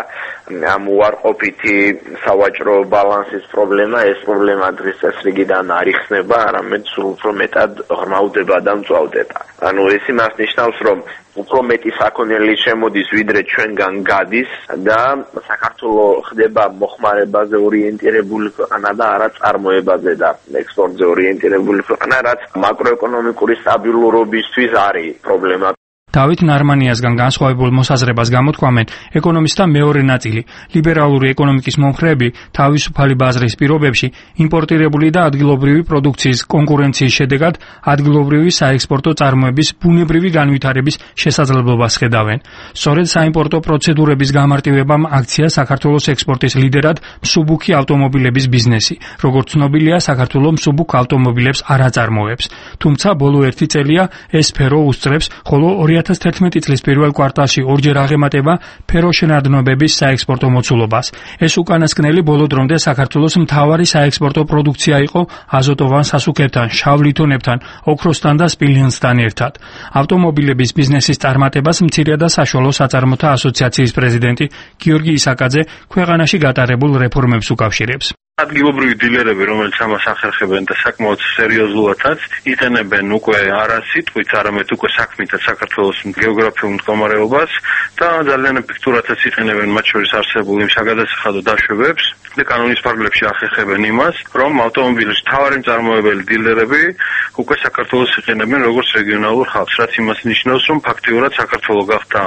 ამ უარყოფითი სავაჭრო ბალანსის პრობლემა, ეს პრობლემა დღის წესრიგიდან არ იხსნება, არამედ სულ უფრო მეტად ღრმავდება და მწვავდება. ანუ ეს იმას ნიშნავს, რომ უფრო მეტი საქონელი შემოდის ვიდრე ჩვენგან გადის და საქართველოს ხდება მოხმარებაზე ორიენტირებული ქვეყანა და არა წარმოებაზე და ექსპორტზე ორიენტირებული ქვეყანა, რაც მაკროეკონომიკური სტაბილურობისთვის არის პრობლემა. დავით ნარმანიასგან განსხვავებულ მოსაზრებას გამოთქვამენ ეკონომისტთა მეორე ნაწილი. ლიბერალური ეკონომიკის მომხრეები თავისუფალი ბაზრის პირობებში იმპორტირებული და ადგილობრივი პროდუქციის კონკურენციის შედეგად ადგილობრივი საექსპორტო წარმოების ბუნებრივი განვითარების შესაძლებლობას ხედავენ. სწორედ საიმპორტო პროცედურების გამარტივებამ აქცია საქართველოს ექსპორტის ლიდერად მსუბუქი ავტომობილების ბიზნესი. როგორც ცნობილია, საქართველოს მსუბუქ ავტომობილებს არ აწარმოებს. თუმცა ბოლო 1 წელია ეს სფერო უსწრებს, ხოლო 2011 წლის პირველ კვარტალში ორჯერ აღემატება ფეროშენადნობების საექსპორტო მოცულობას. ეს უკანასკნელი ბოლო დრომდე საქართველოს მთავარი საექსპორტო პროდუქცია იყო აზოტოვან სასუქებთან, შავ ლითონებთან, ოქროსთან და სპილენძთან ერთად. ავტომობილების ბიზნესის წარმატებას მცირე და საშუალო საწარმოთა ასოციაციის პრეზიდენტი გიორგი ისაკაძე ქვეყანაში გატარებულ რეფორმებს უკავშირებს. ადგილობრივი დილერები, რომელიც ამას ახერხებენ და საკმაოდ სერიოზულადაც იყენებენ უკვე არა სიტყვით, არამედ უკვე საქმითაც საქართველოს გეოგრაფიულ მდგომარეობას და ძალიან ეფექტურადაც იყენებენ მათ შორის არსებულ იმ საგადასახადო დაშვებებს და კანონის ფარგლებში ახერხებენ იმას, რომ ავტომობილის მთავარი მწარმოებელი დილერები უკვე საქართველოს იყენებენ როგორც რეგიონალურ ხალხს, რაც იმას ნიშნავს, რომ ფაქტიურად საქართველო გახდა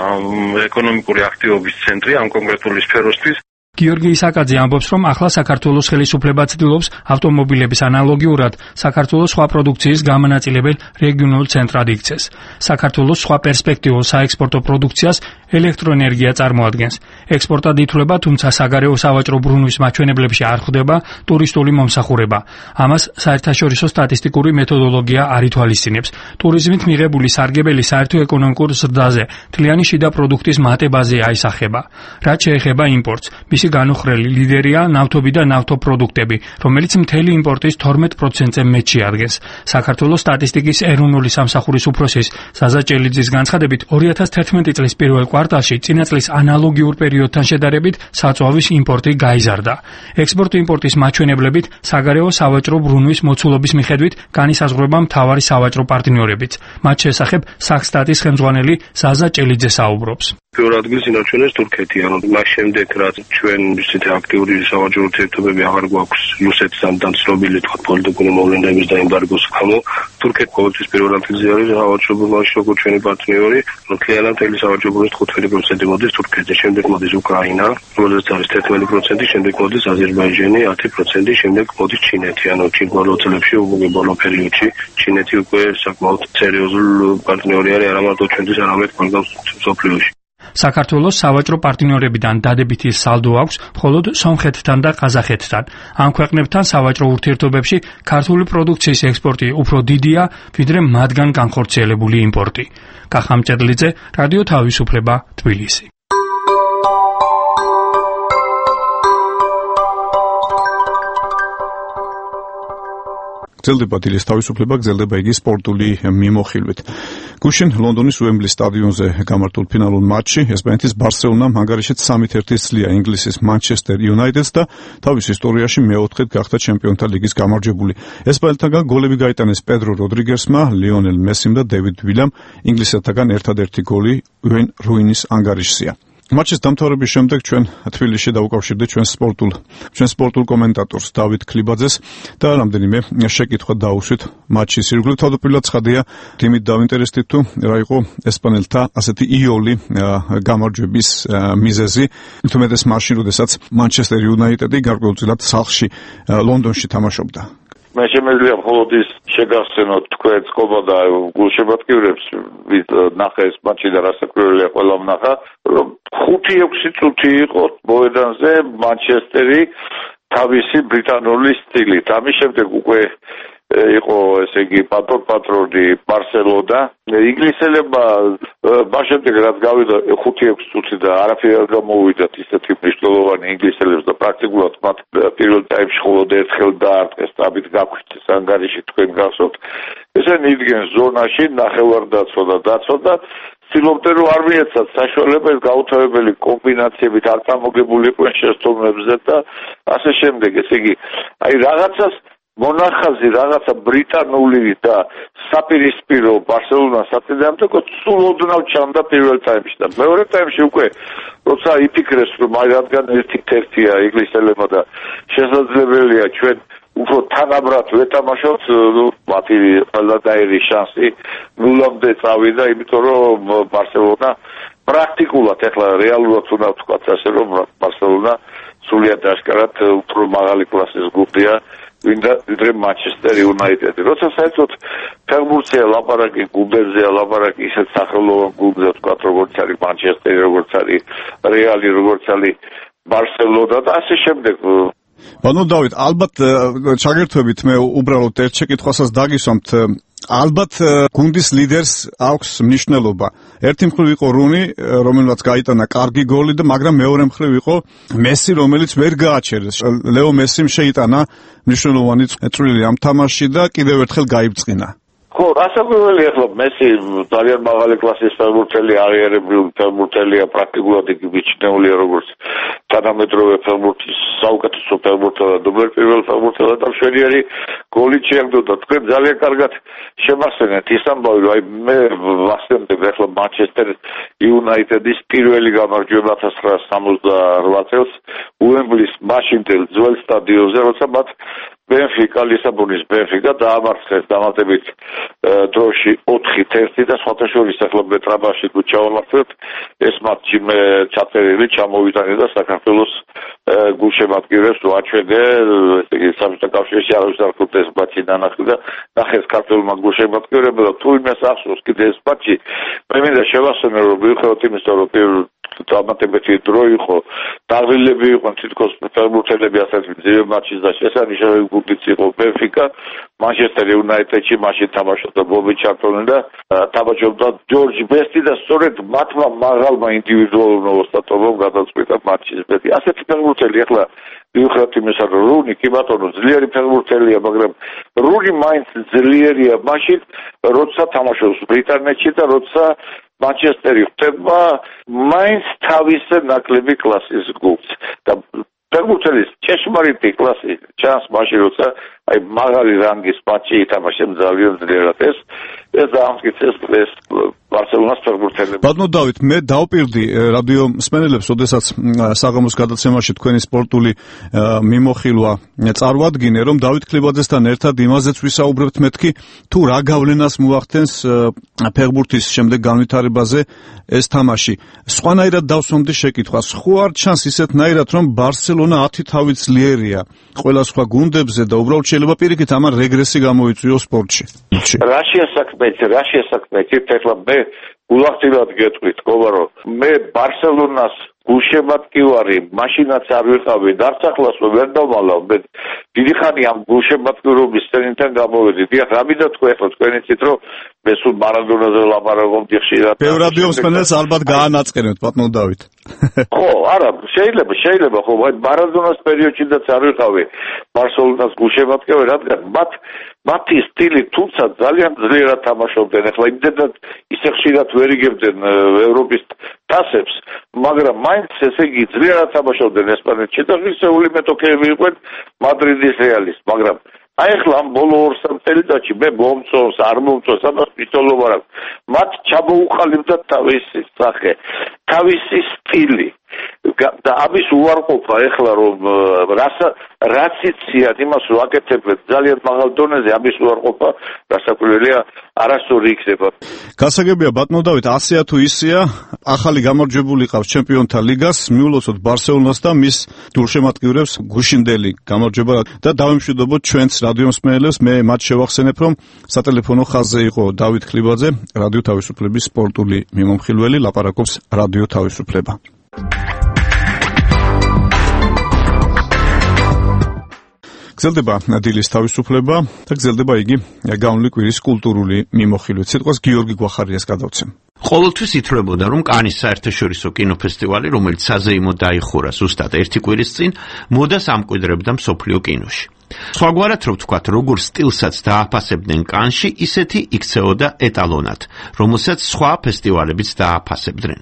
ეკონომიკური აქტივობის ცენტრი ამ კონკრეტული სფეროსთვის. გიორგი ისაკაძე ამბობს, რომ ახლა საქართველოს ხელისუფლება ცდილობს ავტომობილების ანალოგიურად საქართველოს სხვა პროდუქციის გამონაწილებელ რეგიონულ ცენტრად იქცეს. საქართველოს სხვა პერსპექტიულ საექსპორტო პროდუქციას ელექტროენერგია წარმოადგენს. ექსპორტად ითვლება, თუმცა საგარეო სავაჭრო ბრუნვის მაჩვენებლებში არ ხვდება ტურისტული მომსახურება. ამას საერთაშორისო სტატისტიკური მეთოდოლოგია არ ითვალისწინებს. ტურიზმით მიღებული სარგებელი საერთო ეკონომიკურ ზრდაზე მთლიანი შიდა პროდუქტის მატებაზე აისახება. რაც შეეხება იმპორტს, მისი განუხრელი ლიდერია ნავთობი და ნავთობპროდუქტები, რომელიც მთელი იმპორტის 12%-ზე მეტში ადგეს. საქართველოს სტატისტიკის ეროვნული სამსახურის უფროსის ზაზა ჭელიძის განცხადებით, 2011 წლის პირველ კვარტალში წინა წლის ანალოგიურ პერიოდთან შედარებით საწვავის იმპორტი გაიზარდა. ექსპორტ-იმპორტის მაჩვენებლებით საგარეო სავაჭრო ბრუნვის მოცულობის მიხედვით განისაზღვრება მთავარი სავაჭრო პარტნიორებიც. მათ შესახებ სახსტატის ხელმძღვანელი ზაზა ჭელიძე საუბრობს. პირველ ადგილს ინარჩუნებს თურქეთი, ანუ მას შემდეგ რაც ჩვენ ისეთი აქტიური სავაჭრო ურთიერთობები აღარ გვაქვს რუსეთთან და ცნობილი თქვა პოლიტიკური მოვლენების და ემბარგოს გამო, თურქეთი ყოველთვის პირველ ადგილზე არის სავაჭრო ბრუნვაში როგორც ჩვენი პარტნიორი, მთლიანად მთელი სავაჭრო ბრუნვის 5% მოდის თურქეთზე, შემდეგ მოდის უკრაინა, რომელზეც არის 11%, შემდეგ მოდის აზერბაიჯანი 10%, შემდეგ მოდის ჩინეთი, ანუ ბოლო წლებში, ბოლო პერიოდში ჩინეთი უკვე საკმაოდ სერიოზული პარტნიორი არის არა მარტო ჩვენთვის, არამედ ყველგან მსოფლიოში. საქართველოს სავაჭრო პარტნიორებიდან დადებითი სალდო აქვს მხოლოდ სომხეთთან და ყაზახეთთან. ამ ქვეყნებთან სავაჭრო ურთიერთობებში ქართული პროდუქციის ექსპორტი უფრო დიდია, ვიდრე მათგან განხორციელებული იმპორტი. კახამ ჭედლიძე, რადიო თავისუფლება, თბილისი. გრძელდება დილის თავისუფლება, გრძელდება იგი სპორტული მიმოხილვით. გუშინ ლონდონის უემბლის სტადიონზე გამართულ ფინალურ მატჩში ესპანეთის ბარსელონამ ანგარიშით 3-1 სძლია ინგლისის მანჩესტერ იუნაიტედს და თავის ისტორიაში მეოთხედ გახდა ჩემპიონთა ლიგის გამარჯვებული. ესპანეთთან გოლები გაიტანეს პედრო როდრიგესმა, ლიონელ მესიმ და დევიდ ვილამ. ინგლისეთთან ერთადერთი გოლი უეინ რუინის ანგარიშზეა. მატჩის დამთავრების შემდეგ ჩვენ თბილისში დავუკავშირდით ჩვენ სპორტულ კომენტატორს დავით ქლიბაძეს და რამდენიმე შეკითხვა დაუშვით მატჩის ირგვლივ. თავდაპირველად ცხადია, იმით დავინტერესდით თუ რა იყო ესპანელთა ასეთი იოლი გამარჯვების მიზეზი, თუმეტეს მაშინ, როდესაც მანჩესტერ იუნაიტედი გარკვეულწილად სახლში ლონდონში თამაშობდა. მე შემიძლია მხოლოდ ის შეგახსენოთ თქვენ წყობა და გულშემატკივრებს ვით ნახე ეს მატჩი და რასაკვირველია ყველამ ნახა, რომ 5-6 წუთი იყო მოედანზე მანჩესტერი თავისი ბრიტანული სტილით. ამის შემდეგ უკვე იყო ესე იგი პატრონი ბარსელონა. ინგლისელებმა მას შემდეგ რაც გავიდა 5-6 წუთი და არაფერი არ გამოვიდათ ისეთი მნიშვნელოვანი ინგლისელებს და პრაქტიკულად მათ პირველ ტაიმში მხოლოდ ერთხელ დაარტყეს და ამით გაგვიჩეს ანგარიში თქვენ გახსოვთ. ესენი იდგნენ ზონაში, ნახევარდაცვა და დაცვა და ცდილობდნენ რომ არ მიეცათ საშუალება ეს გაუთავებელი კომბინაციებით არ წამოგებულიყვნენ შეცდომებზე და ასე შემდეგ. ესე იგი, აი რაღაცას მონახაზი რაღაცა ბრიტანული და საპირისპირო ბარსელონას აწინააღმდეგო სულ ოდნავ ჩანდა პირველ ტაიმში და მეორე ტაიმში უკვე როცა იფიქრეს რომ აი რადგან ერთ-ერთია ინგლისელებმა და შესაძლებელია ჩვენ უფრო თანაბრად ვეთამაშოთ, მათი ყველანაირი შანსი ნულამდე წავიდა, იმიტომ რომ ბარსელონა პრაქტიკულად ეხლა რეალურად უნდა ვთქვათ ასე რომ ბარსელონა სულიად აშკარად უფრო მაღალი კლასის გუნდია ვიდრე მანჩესტერ იუნაიტედი. როცა საერთოდ ფეხბურთია ლაპარაკი, გუნდებზეა ლაპარაკი, ისეთ სახელოვან გუნდზე ვთქვათ, როგორც არის მანჩესტერი, როგორც არის რეალი, როგორც არის ბარსელონა და ასე შემდეგ. ბანო დავით, ალბათ ჩაგერთვებით მე უბრალოდ ერთ შეკითხვასაც დაგისვამთ. ალბათ გუნდის ლიდერს აქვს მნიშვნელობა. ერთი მხრივ იყო რუნი, რომელმაც გაიტანა კარგი გოლი და მაგრამ მეორე მხრივ იყო მესი, რომელიც ვერ გააჩერეს. ლეო მესიმ შეიტანა მნიშვნელოვანი წვლილი ამ თამაშში და კიდევ ერთხელ გაიბწყინა. ხო, რასაკვირველია ახლა მესი ძალიან მაღალი კლასის ფეხბურთელი, აღიარებრივი ფეხბურთელია, პრაქტიკულად იგი მიჩნეულია როგორც თანამედროვე ფეხბურთის საუკეთესო ფეხბურთელი, დუბლერ პირველ ფეხბურთელი და მშვენიერი გოლი შეაგდო. თქვენ ძალიან კარგად შემახსენეთ ის ამბავი, რომ აი მე ვახსენებ ახლა მანჩესტერ იუნაიტედის პირველი გამარჯვება 1968 წელს უემბლის მაშინდელ ძველ სტადიონზე, როცა მათ ბენფიკა, ლისაბონის ბენფიკა დაამარცხეს დამატებით დროში 4-1 და სხვათა შორის ახლა მეტრაბაში ჩავამართლეთ ეს მატჩი მე ჩაწერილი ჩამოვიტანე და საქართველოს გულშემატკივრებს ვაჩვენე, ესე იგი საბჭოთა კავშირში არის არქივს ეს მატჩი დანახი და ნახეს ქართველმა გულშემატკივრებმა და თუ იმას ახსოვს კიდე ეს მატჩი მე მინდა შევახსენო რომ მიუხედავად იმისა რომ დამატებითი დრო იყო, დაღლილები იყვნენ თითქოს ფეხბურთელები ასეთ ძირ მატჩის და შესანიშნავი გუნდიც იყო ბენფიკა, მანჩესტერ იუნაიტედში მაშინ თამაშობდა ბობი ჩარტონი და თამაშობდა ჯორჯ ბესტი და სწორედ მათმა მაღალმა ინდივიდუალურ ოსტატობამ გადაწყვიტა მატჩის ბედი. ასეთი ფეხბურთელი ახლა მიუხედავად იმისა რომ რუნი კი ბატონო ძლიერი ფეხბურთელია, მაგრამ რუნი მაინც ძლიერია მაშინ, როცა თამაშობს ბრიტანეთში და როცა მანჩესტერი ხდება მაინც თავისი ნაკლები კლასის გუნდს და ფეხბურთელის ჭეშმარიტი კლასი ჩანს მაშინ როცა აი მაღალი რანგის მატჩი ითამაშებს ძალიან ძლიერად ეს დაამტკიცეს ეს ბარსელონას ფეხბურთელებს. ბატონო დავით, მე დავპირდი რადიო მსმენელებს, ოდესაც საღამოს გადაცემაში თქვენი სპორტული მიმოხილვა წარვადგინე, რომ დავით ქლიბაძესთან ერთად იმაზეც ვისაუბრებთ მეთქი, თუ რა გავლენას მოახდენს ფეხბურთის შემდეგ განვითარებაზე ეს თამაში. სხვანაირად დავსვამდი შეკითხვას. ხო არ ჩანს ისეთნაირად, რომ ბარსელონა 10 თავით ძლიერია ყველა სხვა გუნდებზე და უბრალოდ შეიძლება პირიქით ამან რეგრესი გამოიწვიოს სპორტში. რა შეასაქმეთ, ეხლა მე გულახდილად გეტყვით, გობა რომ მე ბარსელონას გულშემატკივარი მაშინაც არ ვიყავი, დარწახლას ვერ დავმალავ, მე დიდი ხანი ამ გულშემატკივრობის სცენიდან გამოვედი. დიახ, რა მინდა თქვა ეხლა თქვენ იცით რომ მე სულ მარადონაზე ლაპარაკობდი ხშირად. ბევრ რადიო მსმენელს ალბათ გაანაწყენებთ, ბატონო დავით. ხო, არა, შეიძლება, ხო, მარადონას პერიოდშიც არ ვიყავი ბარსელონას გულშემატკივარი, რადგან მათი სტილი თუმცა ძალიან ძლიერად თამაშობდნენ, ახლა იმდენად ისე ხშირად ვერ იგებდნენ ევროპის თასებს, მაგრამ მაინც ესე იგი ძლიერად თამაშობდნენ ესპანეთში და ღირსეული მეტოქეები იყვნენ მადრიდის რეალის, მაგრამ აი ახლა ამ ბოლო 2-3 წელიწადში მე მომწონს, არ მომწონს, ამას მიტოლობა რა. მათ ჩამოუყალიბდა თავისი სახე. თავისი სტილი და ამის უარყოფა ეხლა რომ რაც იციან იმას ვაკეთებთ ძალიან მაღალ დონეზე ამის უარყოფა გასაკვირველია არასწორი იქნება. გასაგებია ბატონო დავით, ასეა თუ ისეა, ახალი გამარჯვებული ყავს ჩემპიონთა ლიგას, მიულოცოთ ბარსელონას და მის გულშემატკივრებს გუშინდელი გამარჯვება და დავიმშვიდობოთ ჩვენს რადიო მსმენელებს. მე მათ შევახსენებ, რომ სატელეფონო ხაზზე იყო დავით ხლიბაძე, რადიო თავისუფლების სპორტული მიმომხილველი, ლაპარაკობს რადიო თავისუფლება. გრძელდება დილის თავისუფლება და გრძელდება იგი გავლილი კვირის კულტურული მიმოხილვით. სიტყვას გიორგი გვახარიას გადავცემ. ყოველთვის ითვლებოდა, რომ კანის საერთაშორისო კინოფესტივალი, რომელიც საზეიმოდ დაიხურა ზუსტად ერთი კვირის წინ, მოდას ამკვიდრებდა მსოფლიო კინოში. სხვაგვარად რო ვთქვათ, როგორ სტილსაც დააფასებდნენ კანში, ისეთი იქცეოდა ეტალონად, რომელსაც სხვა ფესტივალებიც დააფასებდნენ.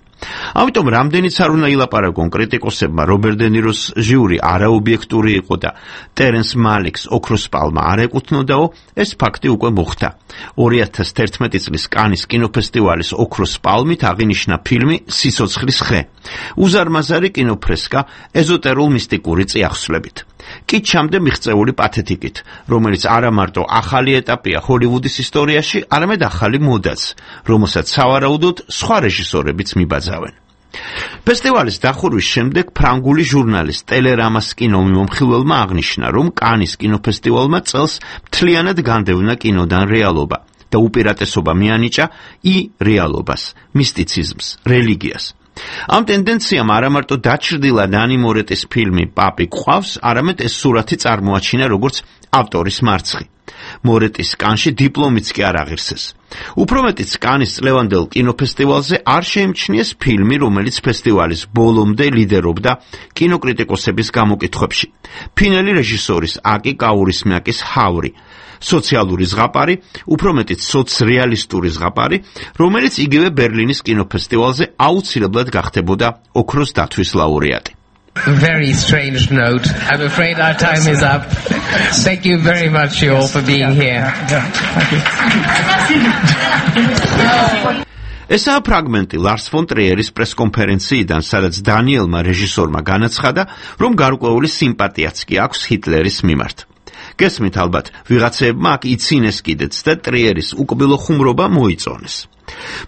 ამიტომ რამდენიც არ უნდა ილაპარაკონ კრიტიკოსებმა, რობერტ დე ნიროს ჟიური არაობიექტური იყო და ტერენს მალიქს ოქროს პალმა არ ეკუთვნოდაო, ეს ფაქტი უკვე მოხდა. 2011 წლის კანის კინოფესტივალის ოქროს პალმით აღინიშნა ფილმი სიცოცხლის ხე, უზარმაზარი კინოფრესკა ეზოტერულ მისტიკური წიაღსვლებით. კი ჩამდე მიღწეული პათეტიკით, რომელიც არა მარტო ახალი ეტაპია ჰოლივუდის ისტორიაში, არამედ ახალი მოდაც, რომელსაც სავარაუდოდ სხვა რეჟისორებიც მიბაძავენ. ფესტივალის დახურვის შემდეგ ფრანგული ჟურნალის ტელერამას კინომიმომხილველმა აღნიშნა, რომ კანის კინოფესტივალმა წელს მთლიანად განდევნა კინოდან რეალობა და უპირატესობა მიანიჭა რეალობას, მისტიციზმს, რელიგიას. ამ ტენდენციამ არა მარტო დაჩრდილა დანი მორეტის ფილმი პაპი ყავს, არამედ ეს სურათი წარმოაჩინა როგორც ავტორის მარცხი. მორეტის კანში დიპლომიც კი არ აღირსეს. უფრო მეტიც კანის წლევანდელ კინოფესტივალზე არ შეიმჩნიეს ფილმი, რომელიც ფესტივალის ბოლომდე ლიდერობდა კინოკრიტიკოსების გამოკითხვებში. ფინელი რეჟისორის აკი კაურისმიაკის ჰავრი, სოციალური ზღაპარი, უფრო მეტიც სოცრეალისტური ზღაპარი, რომელიც იგივე ბერლინის კინოფესტივალზე აუცილებლად გახდებოდა ოქროს დათვის ლაურეატი. Very strange note. I'm afraid our time is up. Thank you very much you all for being here. ესაა ფრაგმენტი ლარს ფონ ტრიერის პრესკონფერენციიდან, სადაც დანიელმა რეჟისორმა განაცხადა, რომ გარკვეული სიმპათიაც კი აქვს ჰიტლერის მიმართ. გესმით ალბათ, ვიღაცებმა აქ იცინეს კიდეც და ტრიერის უკბილო ხუმრობა მოიწონეს.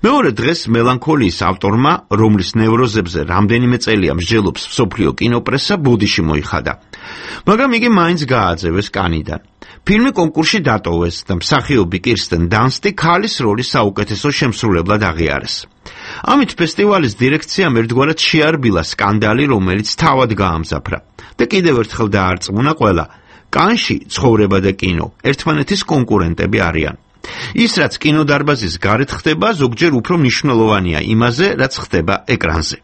მეორე დღეს მელანქოლიის ავტორმა, რომლის ნევროზებზე რამდენიმე წელია მსჯელობს მსოფლიო კინოპრესა, ბუდიში მოიხადა. მაგრამ იგი მაინც გააძევეს კანიდან. ფილმი კონკურსში დატოვეს და მსახიობი კირსტენ დანსტი ქალის როლის საუკეთესო შემსრულებლად აღიარეს. ამით ფესტივალის დირექციამ ერთგვარად შეარბილა სკანდალი, რომელიც თავად გაამძაფრა და კიდევ ერთხელ დაარწმუნა ყველა, კანში ცხოვრება და კინო ერთმანეთის კონკურენტები არიან. ის, რაც კინოდარბაზის გარეთ ხდება, ზოგჯერ უფრო მნიშვნელოვანია იმაზე, რაც ხდება ეკრანზე.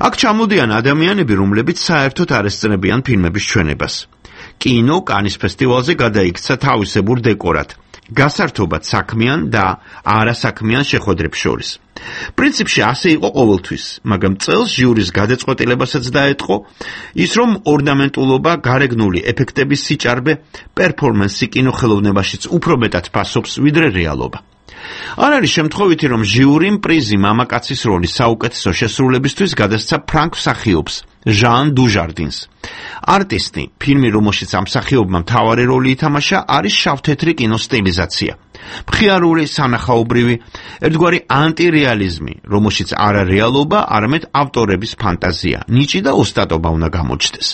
აქ ჩამოდიან ადამიანები, რომლებიც საერთოდ არ ესწრებიან ფილმების ჩვენებას. კინო კანის ფესტივალზე გადაიქცა თავისებურ დეკორად, გასართობად საქმიან და არასაქმიან შეხვედრებს შორის. პრინციპში ასე იყო ყოველთვის, მაგრამ წელს ჟიურის გადაწყვეტილებასაც დაეტყო ის, რომ ორნამენტულობა, გარეგნული ეფექტების სიჭარბე, პერფორმანსი კინოხელოვნებაშიც უფრო მეტად ფასობს, ვიდრე რეალობა. არ არის შემთხვევითი, რომ ჟიურიმ პრიზი მამაკაცის როლის საუკეთესო შესრულებისთვის გადასცა ფრანგ მსახიობს ჟან დუჟარდინს. არტისტი, ფილმი, რომელშიც ამ მსახიობმა მთავარი როლი ითამაშა, არის შავთეთრი კინოსტილიზაცია. მხიარული, სანახაობრივი, ერთგვარი ანტირეალიზმი, რომელშიც არა რეალობა, არამედ ავტორების ფანტაზია, ნიჭი და ოსტატობა უნდა გამოჩნდეს.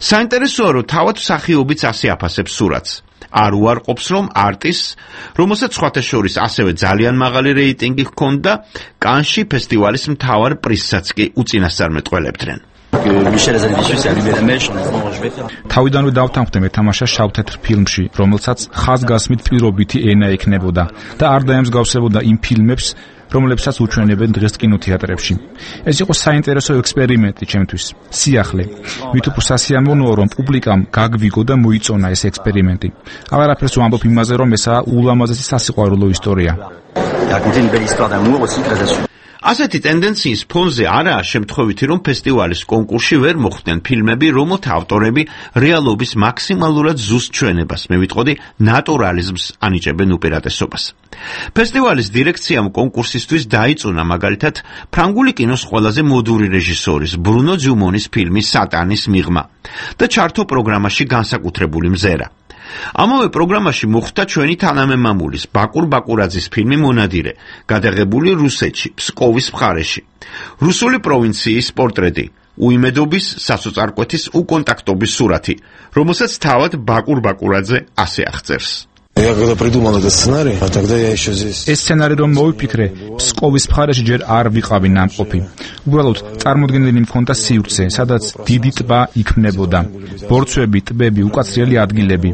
საინტერესოა, რომ თავად მსახიობიც ასე აფასებს სურათს. არ უარყოფს, რომ არტისტს, რომელსაც სხვათა შორის ასევე ძალიან მაღალი რეიტინგი ჰქონდა, კანში ფესტივალის მთავარ პრიზსაც კი უწინასწარმეტყველებდნენ. თავიდანვე დავთანხმდი მეთამაშა შავთეთრ ფილმში, რომელსაც ხაზგასმით პირობითი ენა ექნებოდა და არ დაემსგავსებოდა იმ ფილმებს, რომლებსაც უჩვენებენ დღეს კინოთეატრებში. ეს იყო საინტერესო ექსპერიმენტი ჩემთვის. სიახლე. მით უფრო სასიამოვნოა, რომ პუბლიკამ გაგვიგო და მოიწონა ეს ექსპერიმენტი. აღარაფერს ვამბობ იმაზე, რომ ესაა ულამაზესი სასიყვარულო ისტორია. ასეთი ტენდენციის ფონზე არაა შემთხვევითი, რომ ფესტივალის კონკურსში ვერ მოხვდნენ ფილმები, რომელთა ავტორები რეალობის მაქსიმალურად ზუსტ ჩვენებას, მე ვიტყოდი ნატურალიზმს ანიჭებენ უპირატესობას. ფესტივალის დირექციამ კონკურსისთვის დაიწუნა მაგალითად ფრანგული კინოს ყველაზე მოდური რეჟისორის ბრუნო ძიუმონის ფილმი სატანის მიღმა და ჩართო პროგრამაში განსაკუთრებული მზერა. ამავე პროგრამაში მოხვდა ჩვენი თანამემამულის ბაკურ ბაკურაძის ფილმი მონადირე, გადაღებული რუსეთში, ფსკოვის მხარეში. რუსული პროვინციის პორტრეტი, უიმედობის, სასოწარკვეთის უკონტაქტობის სურათი, რომელსაც თავად ბაკურ ბაკურაძე ასე აღწერს. Я когда придумал этот сценарий, а тогда я еще здесь. ეს სცენარი რომ მოვიფიქრე, ფსკოვის მხარეში ჯერ არ ვიყავი ნამყოფი. უბრალოდ წარმოდგენილი მქონდა სივრცე, სადაც დიდი ტბა იქმნებოდა. ბორცვები, ტბები, უკაცრიელი ადგილები.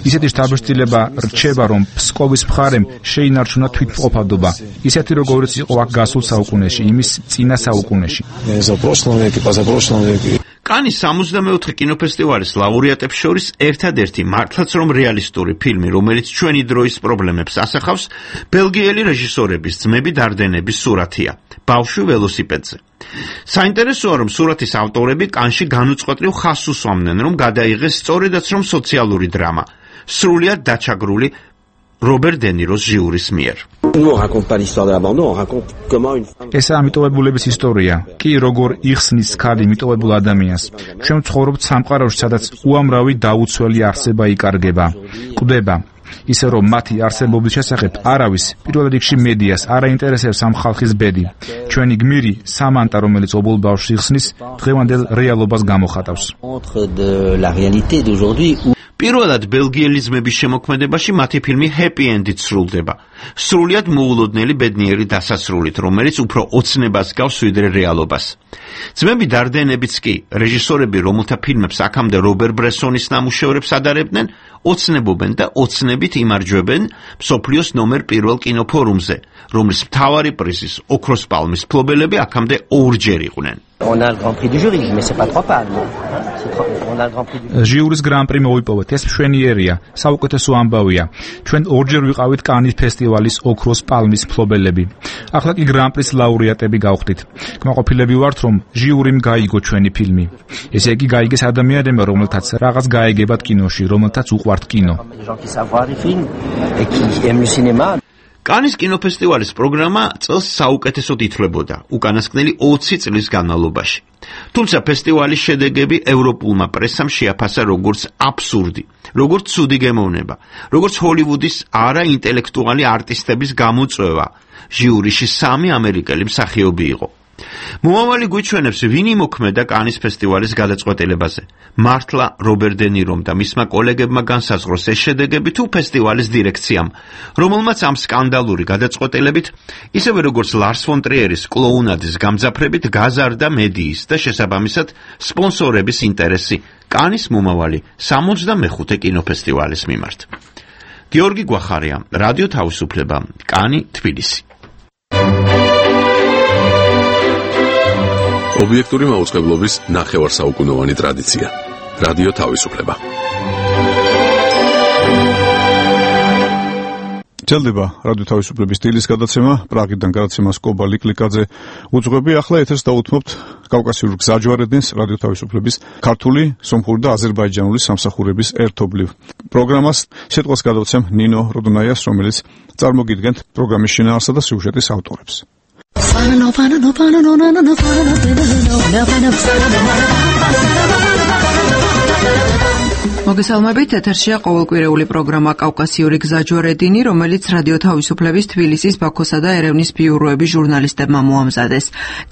ისეთი შთაბეჭდილება რჩება, რომ ფსკოვის მხარემ შეინარჩუნა თვითმყოფადობა. ისეთი როგორიც იყო აქ გასულ საუკუნეში, იმის წინა საუკუნეში. За прошлом веке, позапрошлом веке. კანის 64 კინოფესტივალის ლაურეატებს შორის ერთადერთი მართლაც რომ რეალისტური ფილმი, რომელიც ჩვენი დროის პრობლემებს ასახავს, ბელგიელი რეჟისორების ძმები დარდენების სურათია, ბავშვი ველოსიპედზე. საინტერესოა, რომ სურათის ავტორები კანში განუწყვეტლივ ხაზს უსვამდნენ, რომ გადაიღეს სწორედაც რომ სოციალური დრამა, სრულიად დაჩაგრული რობერტ დე ნიროს ჟიურის მიერ. ესაა მიტოვებულების ისტორია, კი როგორ იხსნის ქალი მიტოვებულ ადამიანს. ჩვენ ვცხოვრობთ სამყაროში, სადაც უამრავი დაუცველი არსება იკარგება, კვდება. ისე რომ მათი არსებობის შესახებ არავის, პირველ რიგში მედიას, არ აინტერესებს ამ ხალხის ბედი. ჩვენი გმირი, სამანტა, რომელიც ობოლ ბავშვს იხსნის, დღევანდელ რეალობას გამოხატავს. პირველად ბელგიელი ძმების შემოქმედებაში მათი ფილმი ჰეპი ენდით სრულდება. სრულიად მოულოდნელი ბედნიერი დასასრულით, რომელიც უფრო ოცნებას გავს ვიდრე რეალობას. ძმები დარდენებიც კი, რეჟისორები, რომელთა ფილმებს აქამდე რობერ ბრესონის ნამუშევრებს ადარებდნენ, ოცნებობენ და ოცნებით იმარჯვებენ მსოფლიოს ნომერ 1 კინოფორუმზე, რომლის მთავარი პრიზის, ოქროს პალმის მფლობელები აქამდე ორჯერ იყვნენ. ჟიურის გრან-პრი მოვიპოვეთ, ეს მშვენიერია, საუკეთესო ამბავია. ჩვენ ორჯერ ვიყავით კანის ფესტივალის ოქროს პალმის მფლობელები. ახლა კი გრან-პრის ლაურეატები გავხდით. კმაყოფილები ვართ, რომ ჟიურიმ გაიგო ჩვენი ფილმი. ესე იგი გაიგეს ადამიანებმა, რომელთაც რაღაც გაეგებათ კინოში, რომელთაც უყვართ კინო. კანის კინოფესტივალის პროგრამა წელს საუკეთესოდ ითვლებოდა უკანასკნელი 20 წლის განმავლობაში. თუმცა ფესტივალის შედეგები ევროპულმა პრესამ შეაფასა როგორც აბსურდი, როგორც ცუდი გემოვნება, როგორც ჰოლივუდის არაინტელექტუალი არტისტების გამოწვევა. ჟიურიში 3 ამერიკელი მსახიობი იყო. მომავალი გვიჩვენებს, ვინ იმოქმედა კანის ფესტივალის გადაწყვეტილებაზე. მართლა რობერტ დე ნირომ და მისმა კოლეგებმა განსაზღვროს ეს შედეგები თუ ფესტივალის დირექციამ, რომელმაც ამ სკანდალური გადაწყვეტილებით, ისევე როგორც ლარს ფონ ტრიერის კლოუნადის გამძაფრებით გაზარდა მედიის და შესაბამისად სპონსორების ინტერესი კანის მომავალი 65 კინოფესტივალის მიმართ. გიორგი გვახარია, რადიო თავისუფლება, კანი, თბილისი. ობიექტური მაუწყებლობის ნახევარსაუკუნოვანი ტრადიცია. რადიო თავისუფლება. ჭელდება რადიო თავისუფლების სტილის გადაცემა, პრაღიდან გადაცემას კობა ლიკლიკაძე უძღვები. ახლა ეთერს დაუთმობთ კავკასიურ გზაჯვარედინს რადიო თავისუფლების ქართული, სომხური და აზერბაიჯანული სამსახურების ერთობლივ პროგრამას. სიტყვას გადავცემ ნინო როდონაიას, რომელიც წარმოგიდგენთ პროგრამის შინაარსა და სიუჟეტის ავტორებს. მოგესალმებით, ეთერშია ყოველკვირეული პროგრამა კავკასიური გზაჯვარედინი, რომელიც რადიო თავისუფლების თბილისის, ბაქოსა და ერევნის ბიუროების ჟურნალისტებმა მოამზადეს.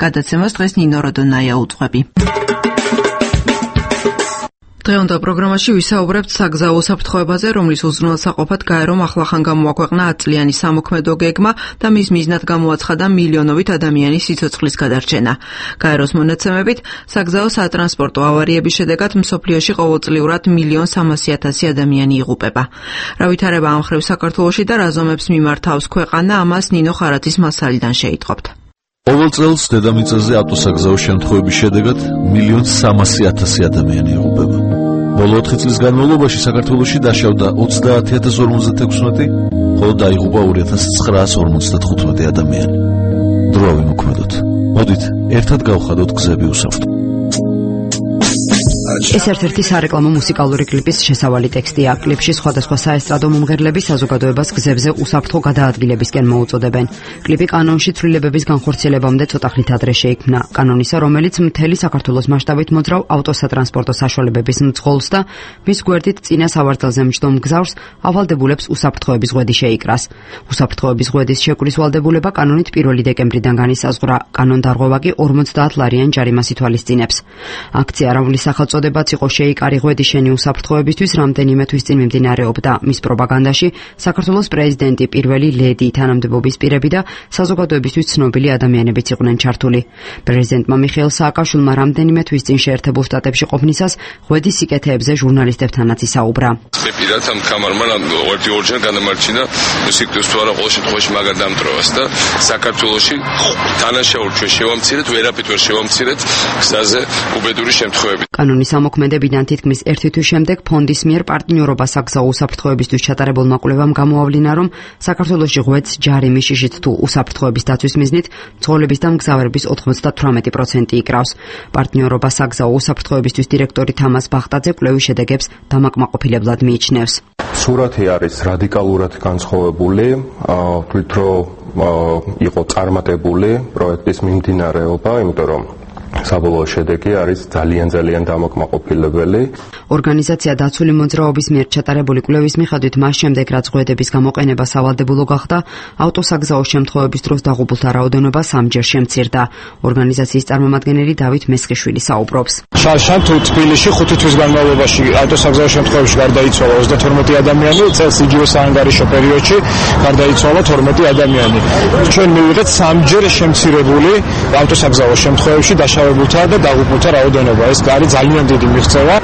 გადაცემას დღეს ნინო როდონაია უძღვები. დღევანდელ პროგრამაში ვისაუბრებთ საგზაო საფრთხოებაზე, რომლის უზრუნველსაყოფად გაერომ ახლახან გამოაქვეყნა 10 წლიანი სამოქმედო გეგმა და მის მიზნად გამოაცხადა მილიონობით ადამიანის სიცოცხლის გადარჩენა. გაეროს მონაცემებით, საგზაო სატრანსპორტო ავარიების შედეგად მსოფლიოში ყოველწლიურად 1.3 მილიონი ადამიანი იღუპება. რა ვითარება ამ ხრივ საქართველოში და რა ზომებს მიმართავს ქვეყანა, ამას ნინო ხარათის მასალიდან შეიტყობთ. ყოველ წელს დედამიწაზე ავტოსაგზაო შემთხვევების შედეგად 1.3 მილიონი ადამიანი იღუპება. ბოლო 4 წლის განმავლობაში საქართველოში დაშავდა 30.056, ხოლო დაიღუპა 2.955 ადამიანი. დრო სურვა ვიმოქმედოთ. მოდით, ერთად გავხადოთ გზები უსაფრთხო. ეს ერთ-ერთი სარეკლამო მუსიკალური კლიპის შესავალი ტექსტია. კლიპში სხვადასხვა საესტრადო მომღერლები საზოგადოებას გზებზე უსაფრთხო გადაადგილებისკენ მოუწოდებენ. კლიპი კანონში ცვლილებების განხორციელებამდე ცოტა ხნით ადრე შეიქმნა. კანონისა, რომელიც მთელი საქართველოს მასშტაბით მოძრავ ავტოსატრანსპორტო საშუალებების მძღოლს და მის გვერდით წინა სავარძელზე მჯდომ მგზავრს ავალდებულებს უსაფრთხოების ღვედი შეიკრას. უსაფრთხოების ღვედის შეკვრის ვალდებულება კანონით 1 დეკემბრიდან განისაზღვრა. კანონდარღვევა კი 50 ლარიან ჯარიმას ითვალისწინებს. აქცია „რავლის სახელწოდებაც იყო შეიკარი ღვედი შენი უსაფრთხოებისთვის რამდენიმე თვის წინ მიმდინარეობდა. მის პროპაგანდაში საქართველოს პრეზიდენტი, პირველი ლედი, თანამდებობის პირები და საზოგადოებისთვის ცნობილი ადამიანებიც იყვნენ ჩართული. პრეზიდენტმა მიხეილ სააკაშვილმა რამდენიმე თვის წინ შეერთებულ შტატებში ყოფნისას ღვედის სიკეთეებზე ჟურნალისტებთანაც ისაუბრა. მე პირადად ამ ხამარმა ორჯერ განამარჩინა სიკეთეს თუ არა ყოველ შემთხვევაში მაგარ დამტრევას და საქართველოში თანაშაულ ჩვენ შევამცირეთ, ვერაფერ ვერ შევამცირეთ გზაზე უბედური შემთხვევები. კანონის ამოქმედებიდან თითქმის 1 თვის შემდეგ ფონდის მიერ პარტნიორობა საგზაო უსაფრთხოებისთვის ჩატარებულმა კვლევამ გამოავლინა, რომ საქართველოში ღვედს ჯარიმი შიშით თუ უსაფრთხოების დაცვის მიზნით მძღოლების და მგზავრების 98% იკრავს. პარტნიორობა საგზაო უსაფრთხოებისთვის დირექტორი თამას ბახტაძე კვლევის შედეგებს დამაკმაყოფილებლად მიიჩნევს. სურათი არის რადიკალურად განსხვავებული, თვით რომ იყო წარმატებული პროექტის მიმდინარეობა, იმიტომ რომ საბოლოო შედეგი არის ძალიან დამაკმაყოფილებელი. ორგანიზაცია დაცული მოძრაობის მიერ ჩატარებული კვლევის მიხედვით მას შემდეგ, რაც ღვედების გამოყენება სავალდებულო გახდა, ავტოსაგზაო შემთხვევების დროს დაღუპულთა რაოდენობა 3-ჯერ შემცირდა. ორგანიზაციის წარმომადგენელი დავით მესხიშვილი საუბრობს. შარშან თუ თბილისში 5 თვის განმავლობაში ავტოსაგზაო შემთხვევებში გარდაიცვალა 32 ადამიანი, წელს იგივე საანგარიშო პერიოდში გარდაიცვალა 12 ადამიანი. ჩვენ მივიღეთ 3-ჯერ შემცირებული ავტოსაგზაო შემთხვევებში დაშავებულთა და დაღუპულთა რაოდენობა. ეს არის ძალიან დიდი მიღწევა.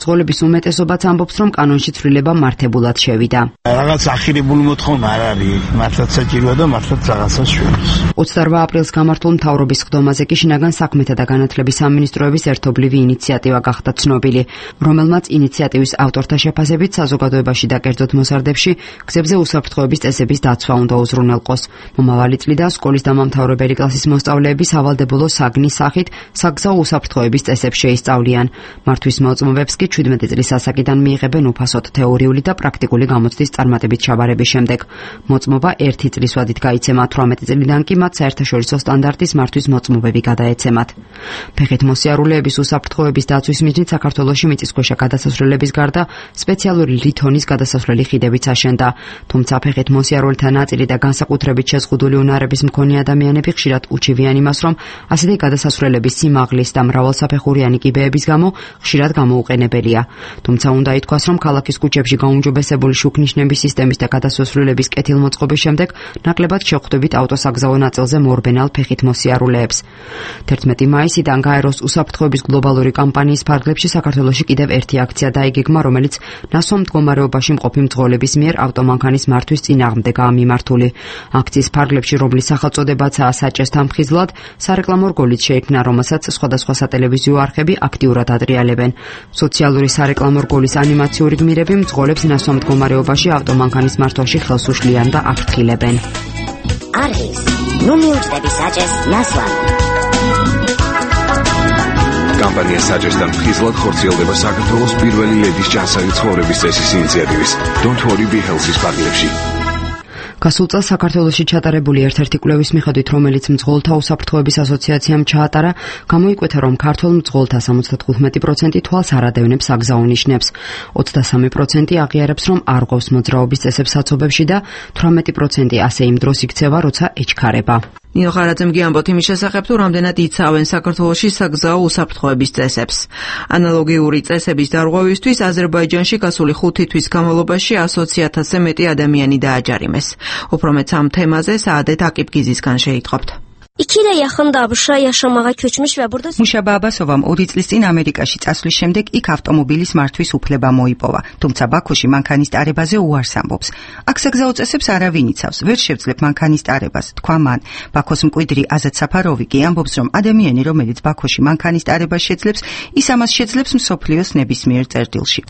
მძღოლების უმეტესობაც ამბობს, რომ კანონში ცვლილება მართებულად შევიდა. რაღაც ახირებული მოთხოვნა არ არის, მართლაც საჭიროა და მართლაც რაღაცას შვენს. 28 აპრილს გამართულ მთავრობის ხდომაზე კი შინაგან საქმეთა და განათლების სამინისტროების ერთობლივი ინიციატივა გახდა ცნობილი, რომელმაც ინიციატივის ავტორთა შეფასებით საზოგადოებაში და კერძოდ მოსარდებში გზებზე უსაფრთხოების წესების დაცვა უნდა უზრუნველყოს. მომავალი წლიდან სკოლის დამამთავრებელი კლასის მოსწავლეები სავალდებულო საგნის სახით საგზაო უსაფრთხოების წესებს შეისწავლიან. მართვის მოწმობებს კი 17 წლის ასაკიდან მიიღებენ უფასოდ თეორიული და პრაქტიკული გამოცდის წარმატებით ჩაბარების შემდეგ. მოწმობა 1 წლის ვადით გაიცემა, 18 წლიდან კი მათ საერთაშორისო სტანდარტის მართვის მოწმობები გადაეცემათ. ფეხით მოსიარულეების უსაფრთხოების დაცვის მიზნით საქართველოში მიწისქვეშა გადასასვლელების გარდა სპეციალური ლითონის გადასასვლელი ხიდებიც აშენდა. თუმცა ფეხით მოსიარულეთა ნაწილი და განსაკუთრებით შეზღუდული უნარების მქონე ადამიანები ხშირად უჩივიან იმას, რომ ასეთი გადასასვლელების სიმაღლის და მრავალსაფეხურიანი კიბეების გამო ხშირად გამოუყენებელია. თუმცა უნდა ითქვას, რომ ქალაქის ქუჩებში გაუმჯობესებული შუქნიშნების სისტემის და გადასასვლელების კეთილმოწყობის შემდეგ ნაკლებად შევხვდებით ავტოსაგზაო ნაწილზე მორბენალ ფეხით მოსიარულეებს. 11 მაისიდან გაეროს უსაფრთხოების გლობალური კამპანიის ფარგლებში საქართველოში კიდევ ერთი აქცია დაიგეგმა, რომელიც ნასვამ მდგომარეობაში მყოფი მძღოლების მიერ ავტომანქანის მართვის წინააღმდეგაა მიმართული. აქციის ფარგლებში, რომლის სახელწოდებაცაა საჭესთან მხიზლად, სარეკლამო რგოლიც შეიქმნა, რომელსაც სხვადასხვა სატელევიზიო არხები აქტიურად ატრიალებენ. სოციალური სარეკლამო რგოლის ანიმაციური გმირები მძღოლებს ნასვამ მდგომარეობაში ავტომანქანის მართვაში ხელს უშლიან და აფრთხილებენ. არის ნუ მიუძღები საჭეს ნასვამ. კამპანია საჭესთან მხიზლად ხორციელდება საქართველოს პირველი ლედის ჯანსაღი ცხოვრების წესის ინიციატივის Don't Worry Be Healthy-ის ფარგლებში. გასულ წელს საქართველოში ჩატარებული ერთ-ერთი კვლევის მიხედვით, რომელიც მძღოლთა უსაფრთხოების ასოციაციამ ჩაატარა, გამოიკვეთა, რომ ქართველ მძღოლთა 75% თვალს არ ადევნებს საგზაო ნიშნებს. 23% აღიარებს, რომ არ ღვევს მოძრაობის წესებს საცობებში და 18% ასე იმ დროს იქცევა, როცა ეჩქარება. ნინო ხარაძემ გიამბოთ იმის შესახებ, თუ რამდენად იცავენ საქართველოში საგზაო უსაფრთხოების წესებს. ანალოგიური წესების დარღვევისთვის აზერბაიჯანში გასული 5 თვის განმავლობაში 100,000-ზე მეტი ადამიანი დააჯარიმეს. უფრო მეც ამ თემაზე საადეთ აკიპგიზისგან შეიტყობთ. იქიდან ახლა აბშაია შამაღა ქუჩმის ვებურდა. მუშაბა აბასოვამ 2 წლის წინ ამერიკაში წასვლის შემდეგ იქ ავტომობილის მართვის უფლება მოიპოვა, თუმცა ბაქოში მანქანის ტარებაზე უარს ამბობს. აქ საგზაო წესებს არავინ იცავს, ვერ შევძლებ მანქანის ტარებას, თქვა მან. ბაქოს მკვიდრი აზად საფაროვი კი ამბობს, რომ ადამიანი, რომელიც ბაქოში მანქანის ტარებას შეძლებს, ის ამას შეძლებს მსოფლიოს ნებისმიერ წერტილში.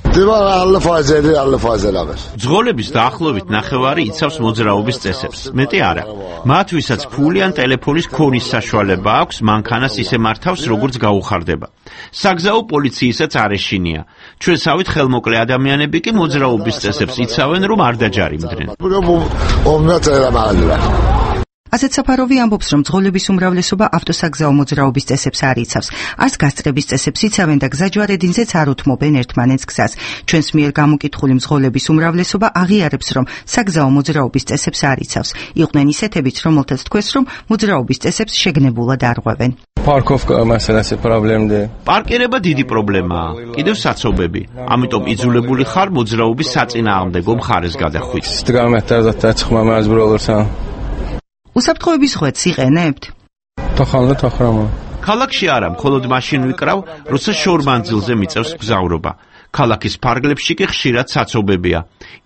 მძღოლების დაახლოებით ნახევარი იცავს მოძრაობის წესებს, მეტი არა. მათ, ვისაც ფული ან ტელეფონის ქონის საშუალება აქვს, მანქანას ისე მართავს, როგორც გაუხარდება. საგზაო პოლიციისაც არ ეშინია. ჩვენსავით ხელმოკლე ადამიანები კი მოძრაობის წესებს იცავენ, რომ არ დაჯარიმდნენ. ასეთ საფაროვი ამბობს, რომ მძღოლების უმრავლესობა ავტოსაგზაო მოძრაობის წესებს არ იცავს. არც გასწრების წესებს იცავენ და გზაჯვარედინზეც არ უთმობენ ერთმანეთს გზას. ჩვენს მიერ გამოკითხული მძღოლების უმრავლესობა აღიარებს, რომ საგზაო მოძრაობის წესებს არ იცავს. იყვნენ ისეთებიც, რომელთაც თქვეს, რომ მოძრაობის წესებს შეგნებულად არღვევენ. პარკირება დიდი პრობლემაა. კიდევ საცობები. ამიტომ იძულებული ხარ მოძრაობის საწინააღმდეგო მხარეს გადახვიდე. უსაფრთხოების ღვედს იყენებთ? ქალაქში არა, მხოლოდ მაშინ ვიკრავ, როცა შორმანძილზე მიწევს მგზავრობა. ქალაქის ფარგლებში კი ხშირად საცობებია.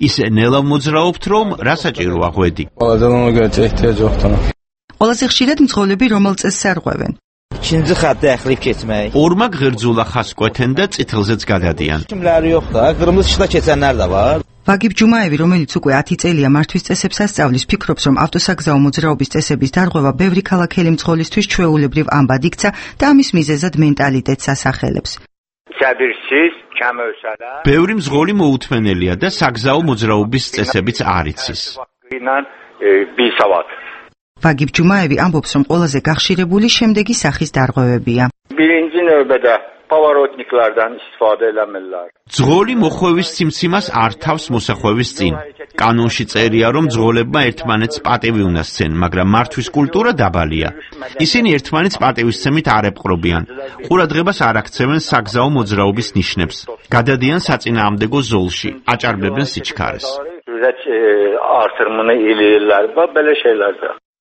ისე ნელა მოძრაობთ, რომ რა საჭიროა ღვედი. ყველაზე ხშირად მძღოლები რომელ წესს არღვევენ? ორმა ღერძულა ხას კვეთენ და წითელზეც გადადიან. ვაგიბ ჯუმაევი, რომელიც უკვე 10 წელია მართვის წესებს ასწავლის, ფიქრობს, რომ ავტოსაგზაო მოძრაობის წესების დარღვევა ბევრი ქალაქელი მძღოლისთვის ჩვეულებრივ ამბად იქცა და ამის მიზეზად მენტალიტეტს ასახელებს. ბევრი მძღოლი მოუთმენელია და საგზაო მოძრაობის წესებიც არ იცის. ვაგიბ ჯუმაევი ამბობს, რომ ყველაზე გახშირებული შემდეგი სახის დარღვევებია. ძღოლი მოხვევის სიმციმას არ თავს მოსახვევის წინ. კანონში წერია, რომ ძღოლებმა ერთმანეთს პატივი უნდა სცენ, მაგრამ მართვის კულტურა დაბალია. ისინი ერთმანეთს პატივისცემით არ ეპყრობიან. ყურადღებას არ აქცევენ საგზაო მოძრაობის ნიშნებს. გადადიან საწინააღმდეგო ზოლში, აჭარბებენ სიჩქარეს.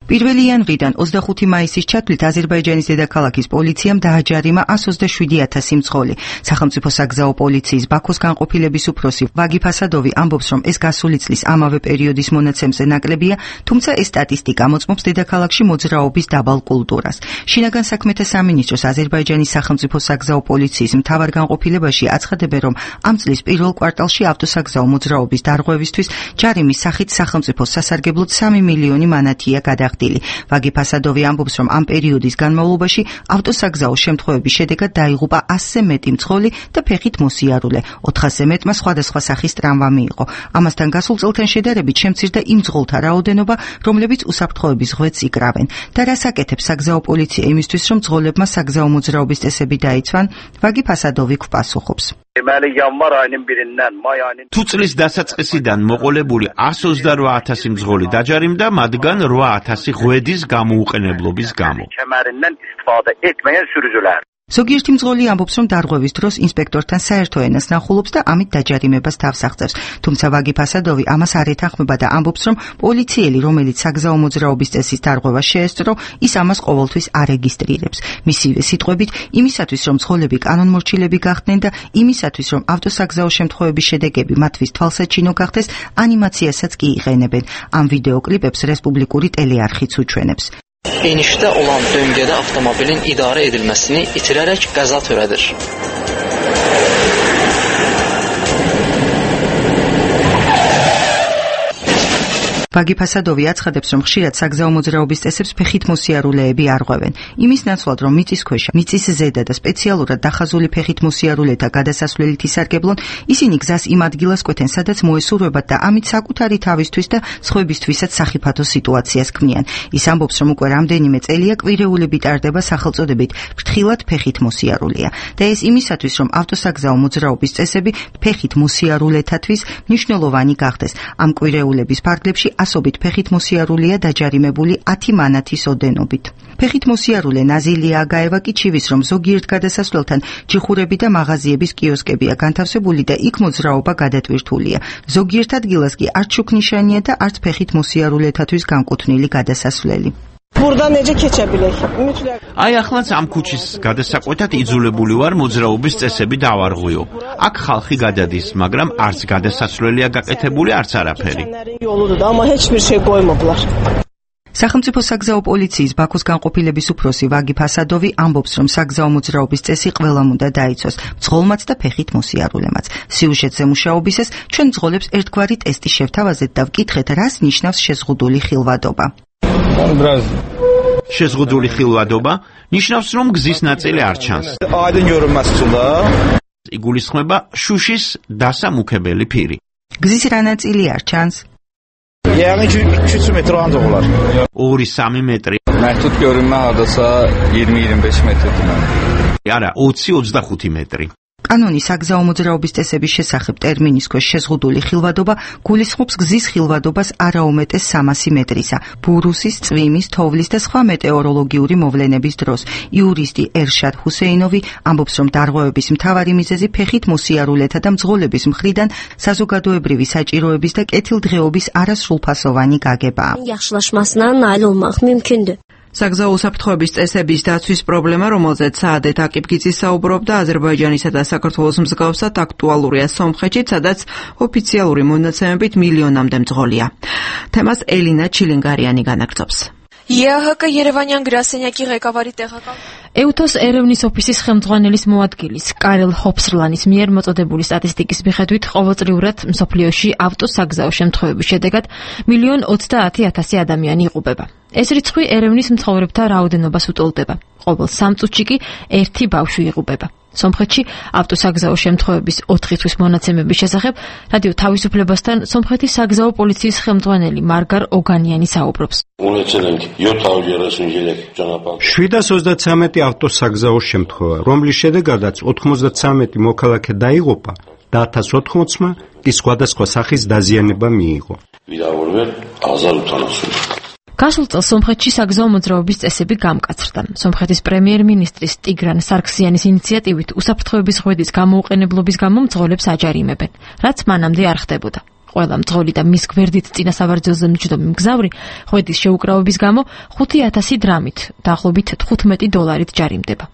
პირველი იანვრიდან 25 მაისის ჩათვლით აზერბაიჯანის დედაქალაქის პოლიციამ დააჯარიმა 127,000 მძღოლი. სახელმწიფო საგზაო პოლიციის ბაქოს განყოფილების უფროსი ვაგიფ ასადოვი ამბობს, რომ ეს გასული წლის ამავე პერიოდის მონაცემზე ნაკლებია, თუმცა ეს სტატისტიკა მოწმობს დედაქალაქში მოძრაობის დაბალ კულტურას. შინაგან საქმეთა სამინისტროს აზერბაიჯანის სახელმწიფო საგზაო პოლიციის მთავარ განყოფილებაში აცხადებენ, რომ ამ წლის პირველ კვარტალში ავტოსაგზაო მოძრაობის დარღვევისთვის ჯარიმის სახით სახელმწიფო სასარგებლოდ 3 მილიონი მანათია გადაღწევა. ვაგიფ ასადოვი ამბობს, რომ ამ პერიოდის განმავლობაში ავტოსაგზაო შემთხვევების შედეგად დაიღუპა 100-ზე მეტი მძღოლი და ფეხით მოსიარულე. 400-ზე მეტმა სხვადასხვა სახის ტრამვა მიიღო. ამასთან გასულ წელთან შედარებით შემცირდა იმ მძღოლთა რაოდენობა, რომლებიც უსაფრთხოების ღვედს იკრავენ. და რას აკეთებს საგზაო პოლიცია იმისთვის, რომ მძღოლებმა საგზაო მოძრაობის წესები დაიცვან? ვაგიფ ასადოვი გვპასუხობს. თუ წლის დასაწყისიდან მოყოლებული 128,000 მძღოლი დაჯარიმდა, მათგან 8,000 ღვედის გამოუყენებლობის გამო. ზოგიერთი მძღოლი ამბობს, რომ დარღვევის დროს ინსპექტორთან საერთო ენას ნახულობს და ამით დაჯარიმებას თავს აღწევს. თუმცა ვაგიფ ასადოვი ამას არ ეთანხმება და ამბობს, რომ პოლიციელი, რომელიც საგზაო მოძრაობის წესის დარღვევას შეესწრო, ის ამას ყოველთვის არეგისტრირებს. მისივე სიტყვებით, იმისათვის, რომ მძღოლები კანონმორჩილები გახდნენ და იმისათვის, რომ ავტოსაგზაო შემთხვევების შედეგები მათთვის თვალსაჩინო გახდეს, ანიმაციასაც კი იყენებენ. ამ ვიდეო კლიპებს რესპუბლიკური ტელეარხიც უჩვენებს. Enişdə olan döngədə avtomobilin idarə edilməsini itirərək qəza törədir. ვაგიფ ასადოვი აცხადებს, რომ ხშირად საგზაო მოძრაობის წესებს ფეხით მოსიარულეები არღვევენ. იმის ნაცვლად, რომ მიწისქვეშა, მიწის ზედა და სპეციალურად დახაზული ფეხით მოსიარულეთა გადასასვლელით ისარგებლონ, ისინი გზას იმ ადგილას კვეთენ, სადაც მოესურვებათ და ამით საკუთარი თავისთვის და სხვებისთვისაც სახიფათო სიტუაციას ქმნიან. ის ამბობს, რომ უკვე რამდენიმე წელია კვირეულები ტარდება სახელწოდებით ფრთხილად ფეხით მოსიარულეა და ეს იმისათვის, რომ ავტოსაგზაო მოძრაობის წესები ფეხით მოსიარულეთათვის მნიშვნელოვანი გახდეს. ამ კვირეულების ფარგლებში ასობით ფეხით მოსიარულია დაჯარიმებული 10 მანათის ოდენობით. ფეხით მოსიარულე ნაზილია აგაევა კი ჩივის, რომ ზოგიერთ გადასასვლელთან ჯიხურები და მაღაზიების კიოსკებია განთავსებული და იქ მოძრაობა გადატვირთულია. ზოგიერთ ადგილას კი არც შუქნიშანია და არც ფეხით მოსიარულეთათვის განკუთვნილი გადასასვლელი. აი ახლაც ამ ქუჩის გადასაყვეთად იძულებული ვარ მოძრაობის წესები დავარღვიო. აქ ხალხი გადადის, მაგრამ არც გადასასვლელია გაკეთებული, არც არაფერი. სახელმწიფო საგზაო პოლიციის ბაქოს განყოფილების უფროსი ვაგიფ ასადოვი ამბობს, რომ საგზაო მოძრაობის წესი ყველამ უნდა დაიცვას, მძღოლმაც და ფეხით მოსიარულემაც. სიუჟეტზე მუშაობისას ჩვენ მძღოლებს ერთგვარი ტესტი შევთავაზეთ და ვკითხეთ, რას ნიშნავს შეზღუდული ხილვადობა. შეზღუდული ხილვადობა ნიშნავს, რომ გზის ნაწილი არ ჩანს. იგულისხმება შუშის დასამუქებელი ფირი. გზის რა ნაწილი არ ჩანს? 2-3 მეტრი. არა, 20-25 მეტრი. კანონის საგზაო მოძრაობის წესების შესახებ ტერმინის ქვეშ შეზღუდული ხილვადობა გულისხმობს გზის ხილვადობას არაუმეტეს 300 მეტრისა, ბურუსის, წვიმის, თოვლის და სხვა მეტეოროლოგიური მოვლენების დროს. იურისტი ერშად ჰუსეინოვი ამბობს, რომ დარღვევების მთავარი მიზეზი ფეხით მოსიარულეთა და მძღოლების მხრიდან საზოგადოებრივი საჭიროების და კეთილდღეობის არასრულფასოვანი გაგებაა. საგზაო უსაფრთხოების წესების დაცვის პრობლემა, რომელზეც საადეთ აკიფგიძე საუბრობდა, აზერბაიჯანისა და საქართველოს მსგავსად აქტუალურია სომხეთში, სადაც ოფიციალური მონაცემებით მილიონამდე მძღოლია. თემას ელინა ჩილინგარიანი განაგრძობს. ԵԱՀԿ Երևանյան գրասենյակի ղեկավարի տեղակալ EUTOS ერევნის ოფისის ხელმძღვანელის მოადგილის კარელ ჰოფსრლანის მიერ მოწოდებული სტატისტიკის მიხედვით ყოველწლიურად მსოფლიოში ავტოსაგზაო შემთხვევების შედეგად 1,30,000 ადამიანი იღუპება. ეს რიცხვი ერევნის მცხოვრებთა რაოდენობას უტოლდება. ყოველ 3 წუთში კი 1 ბავშვი იღუპება. სომხეთში ავტოსაგზაო შემთხვევების 4 თვის მონაცემების შესახებ რადიო თავისუფლებასთან სომხეთის საგზაო პოლიციის ხელმძღვანელი მარგარ ოგანიანი საუბრობს. 733 ავტოსაგზაო შემთხვევა, რომლის შედეგადაც 93 მოქალაქე დაიღუპა და 1080-მა კი სხვადასხვა სახის დაზიანება მიიღო. გასულ წელს სომხეთში საგზაო მოძრაობის წესები გამკაცრდა. სომხეთის პრემიერ-მინისტრის ტიგრან სარქსიანის ინიციატივით უსაფრთხოების ღვედის გამოუყენებლობის გამო მძღოლებს აჯარიმებენ, რაც მანამდე არ ხდებოდა. ყველა მძღოლი და მის გვერდით წინასავარძელზე მჯდომი მგზავრი ღვედის შეუკრავების გამო 5,000 დრამით, დაახლოებით $15 ჯარიმდება.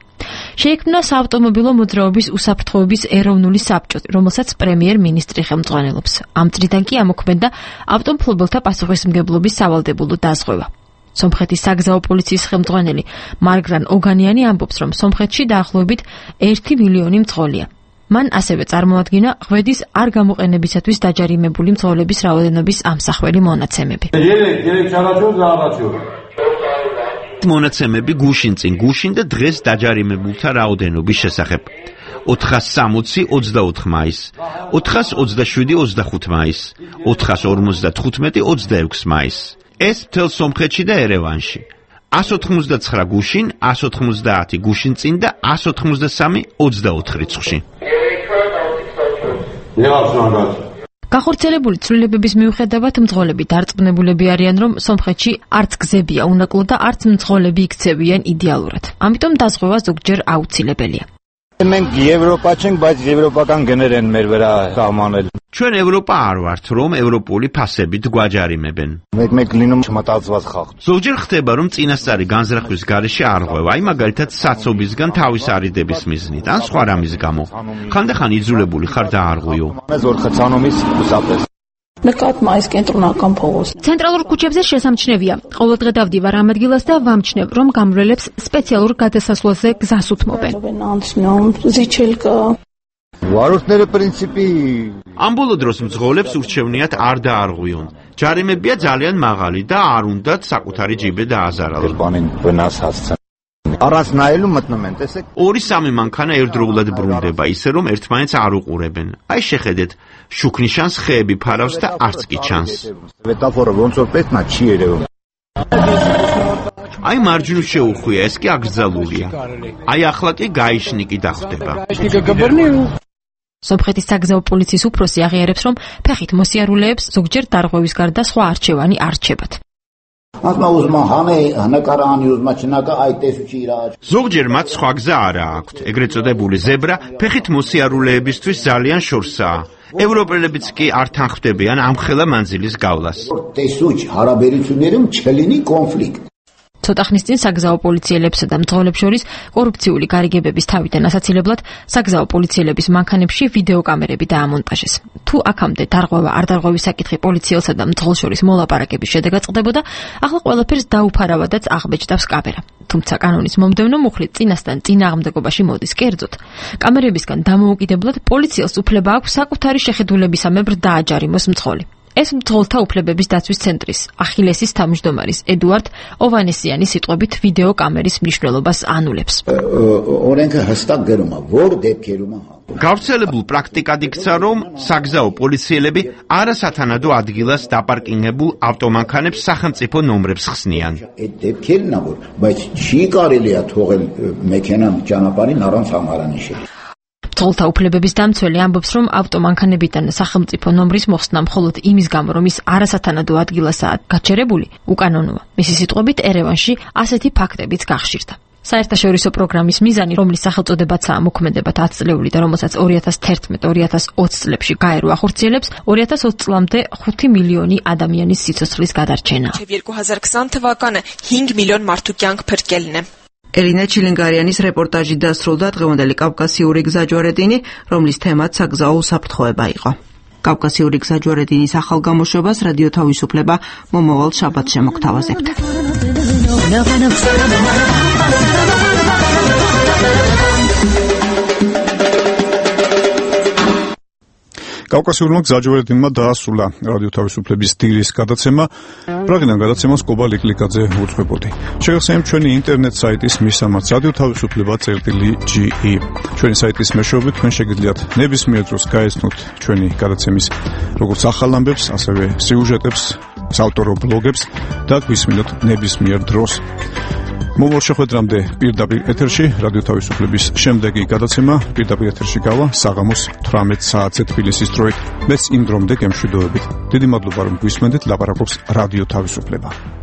შეიქმნა საავტომობილო მოძრაობის უსაფრთხოების ეროვნული საბჭო, რომელსაც პრემიერ-მინისტრი ხელმძღვანელობს. ამ წრიდან კი ამოქმედდა ავტომფლობელთა პასუხისმგებლობის სავალდებულო დაზღვევა. სომხეთის საგზაო პოლიციის ხელმძღვანელი მარგრან ოგანიანი ამბობს, რომ სომხეთში დაახლოებით 1 მილიონი მძღოლია. მან ასევე წარმოადგინა ღვედის არ გამოყენებისათვის დაჯარიმებული მძღოლების რაოდენობის ამსახველი მონაცემები. მონაცემები გუშინ წინ გუშინ და დღეს დაჯარიმებულთა რაოდენობის შესახებ. 460 24 მაისს, 427 25 მაისს, 455 26 მაისს. ეს მთელ სომხეთში და ერევანში. 189 გუშინ, 190 გუშინ წინ და 183 24 რიცხვში. გახორციელებული ცვლილებების მიუხედავად მძღოლები დარწმუნებულები არიან, რომ სომხეთში არც გზებია უნაკლო და არც მძღოლები იქცევიან იდეალურად. ამიტომ დაზღვევა ზოგჯერ აუცილებელია. ჩვენ ევროპა არ ვართ, რომ ევროპული ფასებით გვაჯარიმებენ. ზოგჯერ ხდება, რომ წინასწარი განზრახვის გარეშე არ ღვევა, აი მაგალითად საცობისგან თავის არიდების მიზნით, ან სხვა რამის გამო. ხანდახან იძულებული ხარ და არ ღვიო. ცენტრალურ ქუჩებზე შესამჩნევია. ყოველდღე დავდივარ ამ ადგილას და ვამჩნევ, რომ გამრავლებს სპეციალურ გადასასვლელზე გზას უთმობენ. ამ ბოლო დროს მძღოლებს ურჩევნიათ არ დაარღვიონ. ჯარიმებია ძალიან მაღალი და არ უნდათ საკუთარი ჯიბე დააზარალონ. 2-3 მანქანა ერთდროულად ბრუნდება, ისე რომ ერთმანეთს არ უყურებენ. აი შეხედეთ, შუქნიშანს ხეები ფარავს და არც კი ჩანს. აი მარჯვნივ შეუხვია, ეს კი აკრძალულია. აი ახლა კი გაიშნიკი დახვდება. სომხეთის საგზაო პოლიციის უფროსი აღიარებს, რომ ფეხით მოსიარულეებს ზოგჯერ დარღვევის გარდა სხვა არჩევანი არ რჩებათ. ზოგჯერ მათ სხვა გზა არ აქვთ. ეგრეთ წოდებული ზებრა ფეხით მოსიარულეებისთვის ძალიან შორსაა. ევროპელებიც კი არ თანხმდებიან ამხელა მანძილის გავლას. ცოტა ხნის წინ საგზაო პოლიციელებსა და მძღოლებს შორის კორუფციული გარიგებების თავიდან ასაცილებლად საგზაო პოლიციელების მანქანებში ვიდეო კამერები დაამონტაჟეს. თუ აქამდე დარღვევა არ დარღვევის საკითხი პოლიციელსა და მძღოლს შორის მოლაპარაკების შედეგად წყდებოდა, ახლა ყველაფერს დაუფარავადაც აღბეჭდავს კამერა. თუმცა კანონის მომდევნო მუხლით წინასთან წინააღმდეგობაში მოდის კერძოდ. კამერებისგან დამოუკიდებლად პოლიციელს უფლება აქვს საკუთარი შეხედულებისამებრ დააჯარიმოს მძღოლი. ეს მძღოლთა უფლებების დაცვის ცენტრის ახილესის თავმჯდომარის ედუარდ ოვანესიანის სიტყვებით ვიდეო კამერის მნიშვნელობას ანულებს. გავრცელებულ პრაქტიკად იქცა, რომ საგზაო პოლიციელები არასათანადო ადგილას დაპარკინგებულ ავტომანქანებს სახელმწიფო ნომრებს ხსნიან. მძღოლთა უფლებების დამცველი ამბობს, რომ ავტომანქანებიდან სახელმწიფო ნომრის მოხსნა მხოლოდ იმის გამო, რომ ის არასათანადო ადგილასაა გაჩერებული, უკანონოა. მისი სიტყვებით, ერევანში ასეთი ფაქტებიც გახშირდა. საერთაშორისო პროგრამის მიზანი, რომლის სახელწოდებაცაა მოქმედება 10 წლეული და რომელსაც 2011-2020 წლებში გაერო ახორციელებს, 2020 წლამდე 5 მილიონი ადამიანის სიცოცხლის გადარჩენა. 2020 թվականը 5 միլիոն մարդու կյանք փրկելն է. ელინა ჩილინგარიანის რეპორტაჟი დასრულდა დღევანდელი კავკასიური გზაჯვარედინი, რომლის თემაც საგზაო უსაფრთხოება იყო. კავკასიური გზაჯვარედინის ახალ გამოშვებას რადიო თავისუფლება მომავალ შაბათს შემოგთავაზებთ. კავკასიურმა გზაჯვარედინმა დაასრულა რადიო თავისუფლების დილის გადაცემა. პრაღიდან გადაცემას კობა ლიკლიკაძე უძღვებოდი. შეგახსენებთ ჩვენი ინტერნეტ საიტის მისამართს radiotavisupleba.ge. ჩვენი საიტის მეშვეობით თქვენ შეგიძლიათ ნებისმიერ დროს გაეცნოთ ჩვენი გადაცემის როგორც ახალ ამბებს, ასევე სიუჟეტებს, საავტორო ბლოგებს და გვისმინოთ ნებისმიერ დროს. მომავალ შეხვედრამდე პირდაპირ ეთერში რადიო თავისუფლების შემდეგი გადაცემა პირდაპირ ეთერში გავა საღამოს 18 საათზე თბილისის დროით. მეც იმ დრომდე გემშვიდობებით. დიდი მადლობა რომ გვისმენდით, ლაპარაკობს რადიო თავისუფლება.